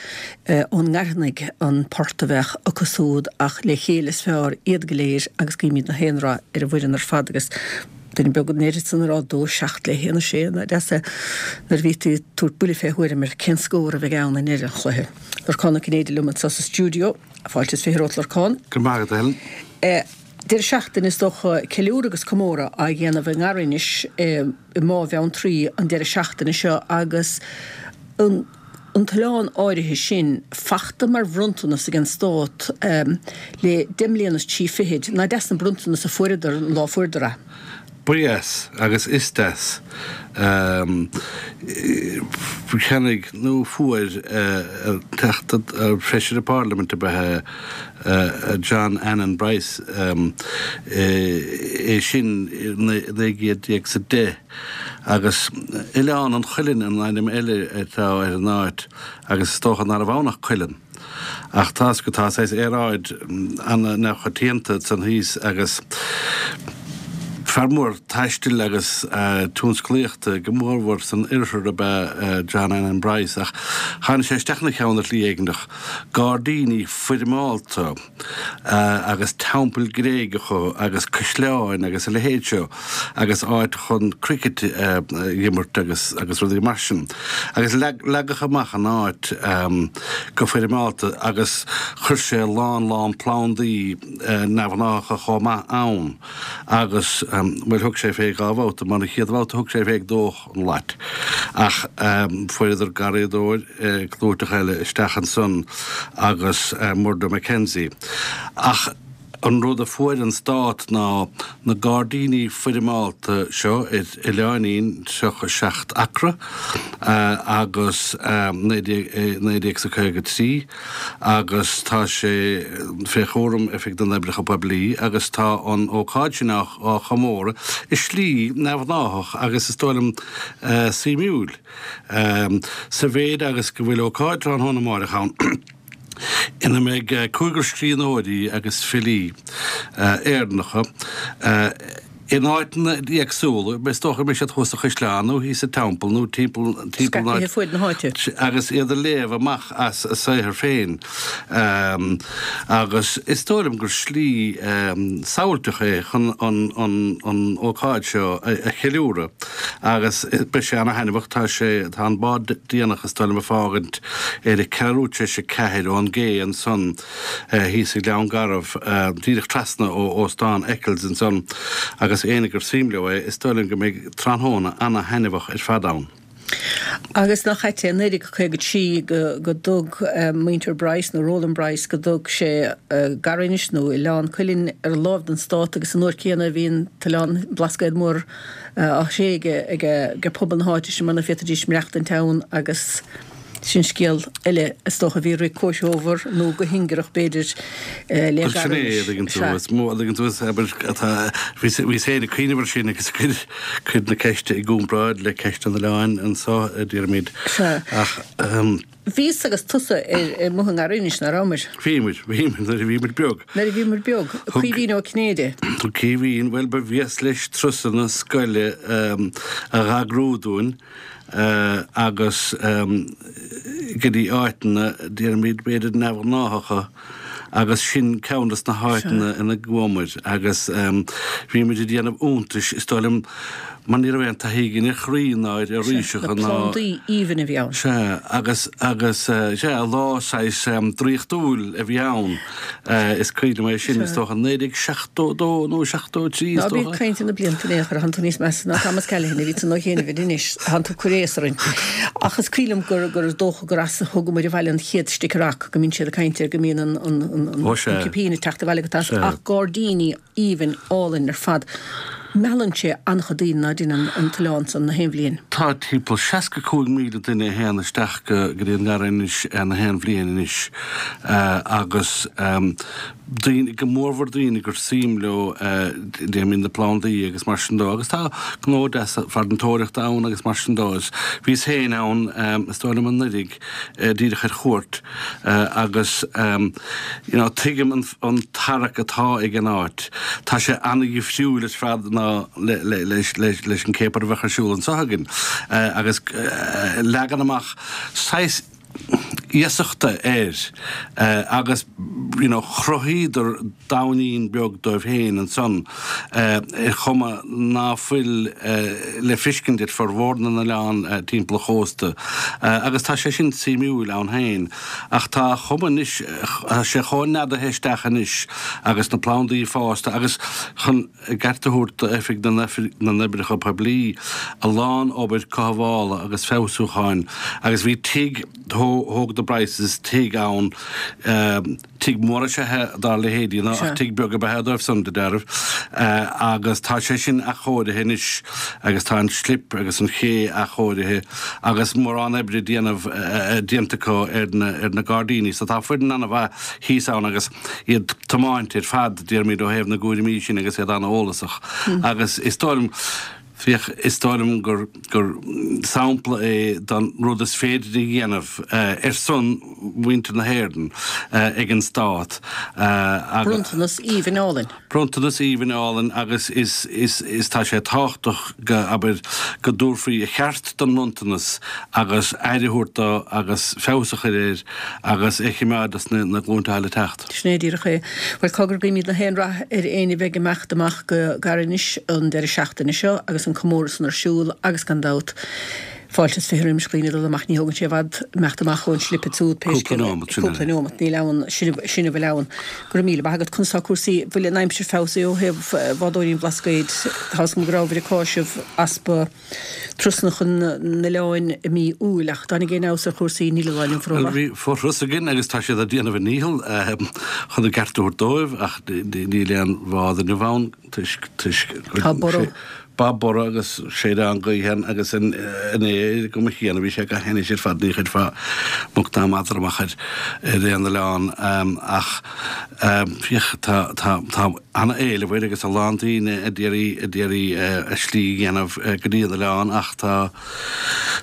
ón nGairfeanaigh an port a bheadh acu súd ach le chéile is fearr iad go léir agus guímid na haon rath ar an bhfoireann ar fad agus Duine beag an oiread san a rá 2, 7 le 1, 6, nach deas é nuair a bhí tú ag tabhairt buille fé thuairim ar cén scór a bheidh ann i ndeireadh an chluiche. Lorcán Ó Cinnéide liom anseo sa stiúideo. Fáilte is 20 romhat Lorcán. Go raibh maith agat a Helen. Deireadh seachtaine is dócha ceiliúradh agus comóradh á dhéanamh i nGairinis i mBá Bheanntraí an deireadh seachtaine seo agus an an t-oileán áirithe sin fachta mar bhronntanas ag an Stát le deich mbliana is trí fichid. Nach deas an bronntanas a fuaireadar an lá a fuaireadar é? Ba dheas, agus is deas. Cheannaigh, nó fuair, Teachta, Feisire Parlaiminte ab ea é, John Annan Bryce, é sin i 1910. Agus Oileán an Chuilinn an ainm eile atá ar an áit agus is dócha ná raibh ann ach cuileann. Ach tá go tá saghas aeráid ana-neamhchoitianta ansan thíos agus fear mór taistil agus tionsclaíochta go mórmhór san oirthear ab ea John Annan Bryce ach tháinig sé isteach ina cheann ar shlí éigineach. Gairdíní foirmeálta. agus teampaill Gréigeacha agus caisleáin agus a leithéid seo agus áit chun cricket a dh'imirt agus agus rudaí mar sin. Agus leagadh amach an áit go foirmeálta agus chuir sé a lán lán plandaí neamhghnáthacha chomh maith ann agus. bhuel thug sé fé dha bhabhta, mar an chéad bhabhta thug sé fé ag dódh an lait. Ach fuaireadar garraíodóir clúiteach eile isteach ansan agus Murdo McKenzie. Ach an rud a fuair an Stát ná na gairdíní foirmeálta seo ar oileáinín 37 acra agus 1953 agus tá sé fé chúram Oifig na nOibreacha Poiblí agus tá an ócáid sin á chomóradh i slí neamhghnáthach agus is dóigh liom suimiúil sa mhéid agus go bhfuil ócáid tráthnóna amáireach ann. ina mbeidh cúigear scríbhneoirí agus filí Éireannacha in áiteanna éagsúla, is dócha go mbeidh siad thuas sa Chaisleán nó thíos sa Teampall nó timpeall na Scaipthe fuaid na háite. agus iad ag léamh amach as a saothar féin. Agus is dóigh liom gur slí samhailteach é chun an ócáid seo a cheiliúradh agus beidh sé ana-thaitneamhach. Tá sé, tá an bád déanach is dóigh liom ag fágaint ar a ceathrú tar éis 4 ón gcé ansan thíos i nGleann Garbh, díreach trasna ó Óstán Eccles ansan agus éinne gur suim leo é, is dóigh liom go mbeidh tráthnóna ana-thaitneamhach ar fad ann. Agus nach ait é, 1953 go go dtug muintir Bryce, nó Roland Bryce, go dtug sé Garrinis nó Oileán Cuilinn ar láimh don Stát agus an uair céanna a bhí an t-oileán Blascaod Mór á thréige ag pobal na háite sin mar nach bhféadfaidís maireachtaint ann agus sin scéal eile is dócha a bhí ag rith comhthreomhar nó go hingearach b'fhéidir le Bhuel sin é, a dtuigeann tú, is mó a dtuigeann tú is abair atá, bhíos féin ag cuimhneamh air sin agus ag cur na ceiste i gcomparáid le ceist an oileáin anso a déarfaimid ach. Bhíos agus tusa ar amuigh i nGarrinis, nach rabhamar? Bhíomar, bhíomar nuair a bhíomar beag. Nuair a bhíomar beag. Caoimhín Ó Cinnéide. Thug Caoimhín, bhuel ba bhéas leis turasanna scoile a dh'eagrú dúinn agus go dtí áiteanna, déarfaimid, b'fhéidir neamhghnáthacha agus sin ceann des na háiteanna ina gcuamar agus bhí muid ag déanamh iontais, is dóigh liom, mar ní raibh aon taithí againn ar chrainn ná ar fhoraoiseacha ná. Na plandaí aoibhinn a bhí ann. Sea, agus, agus, sea, lá saghas draíochtúil a bhí ann, is cuimhin liom é sin, is dócha 1972 nó 73 is dócha. Ná bí ag caint ar na blianta in aon chor, thánn tú níos measa ná Thomas Callaghan a bhí san ó chianaibh anois, thánn tú ag cur aos orainn. Ach is cuimhin liom gur, gur dócha gur as a thugamar abhaile an chéad sticker rock, go mbíonn siad ag caint air, go mbíonn an, an, an, an cipín ag teacht abhaile go tais, ach gairdíní aoibhinn álainn ar fad. Meallann sé an-chuid daoine ná deineann an t-oileán san na haon bhliain. Tá timpeall 65,000 duine a théann isteach go dtí an nGarraí na haon bhliain anois agus daoine, go mórmhór daoine gur suim leo déarfaimid na plandaí agus mar sin dó agus tá gnó deas farantóireachta ann agus mar sin dó. Bhíos féin ann is dóigh liom anuraidh díreach ar chuairt agus you know tuigim an tarrac atá ag an áit. Tá sé an-dhifriúil ar fad ná leis an céapar a bheadh ar siúl anseo againn agus leagan amach saghas iasachta air agus you know chruthaíodar domhainín beag dóibh féin ansan ar chuma ná fuil le feiscint ar formhór na n-oileán timpeall an chósta agus tá sé sin suimiúil ann féin. Ach tá a chuma anois, tá sé chomh neadaithe isteach anois agus na plandaí fásta agus chun a gceart a thabhairt d'Oifig na nOibreacha Poiblí, a lán obair cothabhála agus feabhsúcháin agus bhí tigh, thóg na Bryces tigh ann, Tigh mór is ea é dá leithéidí ná ach tigh beag ab ea é dóibh san, de dealramh, agus tá sé sin athchóirithe anois agus tá an slip agus an ché athchóirithe agus mórán oibre déanamh déanta acu ar na ar na gairdíní. So tá foireann ana-mhaith thíos ann agus iad tiomáinte ar fad, déarfaimid, ó thaobh na gcúraimí sin agus iad ana-eolasach. Agus is dóigh liom, Féach, is dóigh liom gur gur sampla é den rud is féidir a dhéanamh ar son mhuintir na hÉireann ag an Stát. Bronntanas aoibhinn álainn. Bronntanas aoibhinn álainn agus is is is tá sé tábhachtach go, abair, go dtabharfaí a cheart don mbronntanas agus aire a thabhairt dó agus feabhas a chur air agus é a choimeád dos na glúinte atá le teacht. Sin é díreach é. Bhuel, cogar, guímid na haon rath ar éinne a bheidh ag imeacht amach go Garinis an deireadh seachtaine seo agus an comóradh san ar siúl agus gan dabht. Fáilte is roimis dhaoine dul amach, ní thógann sé i bhfad imeacht amach ón slip ansiúd pé Cúpla scéal é. nóimeat, sin Cúpla é. nóimeat, níl ann, sin a sin a bhfuil ann. Go raibh míle maith agat. Conas tá cúrsaí, bhfuil an aimsir feabhsaithe ó thaobh bhádóirí an Bhlascaoid? Tá 'fhios agam go rabhabhair ag cáiseamh easpa turasanna chun na n-oileáin i mí Iúil ach dtáinig aon fheabhas ar chúrsaí níl an lá inniu Bhuel rómhaith. bhí fothras againn agus tá siad ag déanamh a ndícheall chun a gceart a thabhairt dóibh ach níl aon bhád inniu ann. toisc, toisc Tá borradh. Tá borradh agus séideán gaoithe ann agus inné ar an gcuma chéanna bhí sé go hainnis ar fad, ní chuirfeá muc ná madra amach ar ar aon oileán ach féach tá tá tá ana-éileamh air agus a lán daoine a d'iarraidh a d'iarraidh a slí a dhéanamh go dtí an oileán ach tá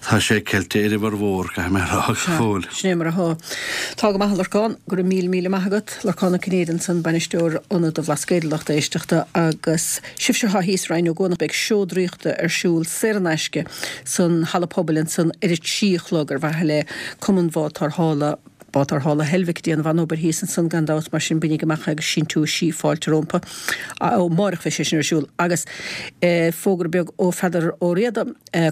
tá sé ceilte ar a bhformhór, caithfidh mé a rá go fóill. Sin é mar atá. Tá go maith a Lorcán, go raibh míle míle maith agat. Lorcán Ó Cinnéide ansan, Bainisteoir Ionad an Bhlascaoid, a lucht éisteachta, agus sibhse atá thíos i Rinn Ó gCuanach, beidh seó draíochta ar siúl saor in aisce san Halla Pobail ansan ar a 3 a chlog ar mhaithe le Cumann Bhád Tarrthála, Bád Tarrthála Heilbhic ag déanamh an-obair thíos ansan gan dabht, mar sin bainigí amach agus síntiúisí, fáilte rompu. Ó, amárach bheidh sé sin ar siúl. Agus fógra beag ó Pheadar Ó Riada,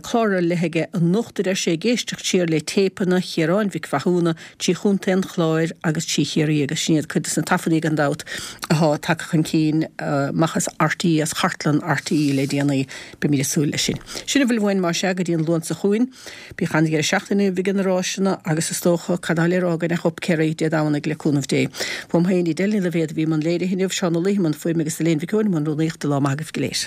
clár ar leith aige anocht a deir sé, ag éisteacht siar le téipeanna Chiaráin Mhic Mhathúna, trí Chontae an Chláir agus trí Chiarraí agus sin iad cuid de na taifeadaí gan dabht athá tagtha chun cinn amach as RTÉ, as chartlann RTÉ le déanaí. Beimid ag súil leis sin. Sin a bhfuil uainn más ea go dtí an Luan seo chugainn. Bíodh an-dheireadh seachtaine agaibh ag na ráiseanna agus is dócha, cad tá le rá againn ach up Kerry Dé Domhnaigh le cúnamh Dé. Uaim féin, Edel Ní Loibhéad a bhí i mbun léirithe inniu, Seán Ó Laoi i mbun fuaime agus Elaine Mhic Eoin i mbun rúnaíochta. Lá maith agaibh go léir.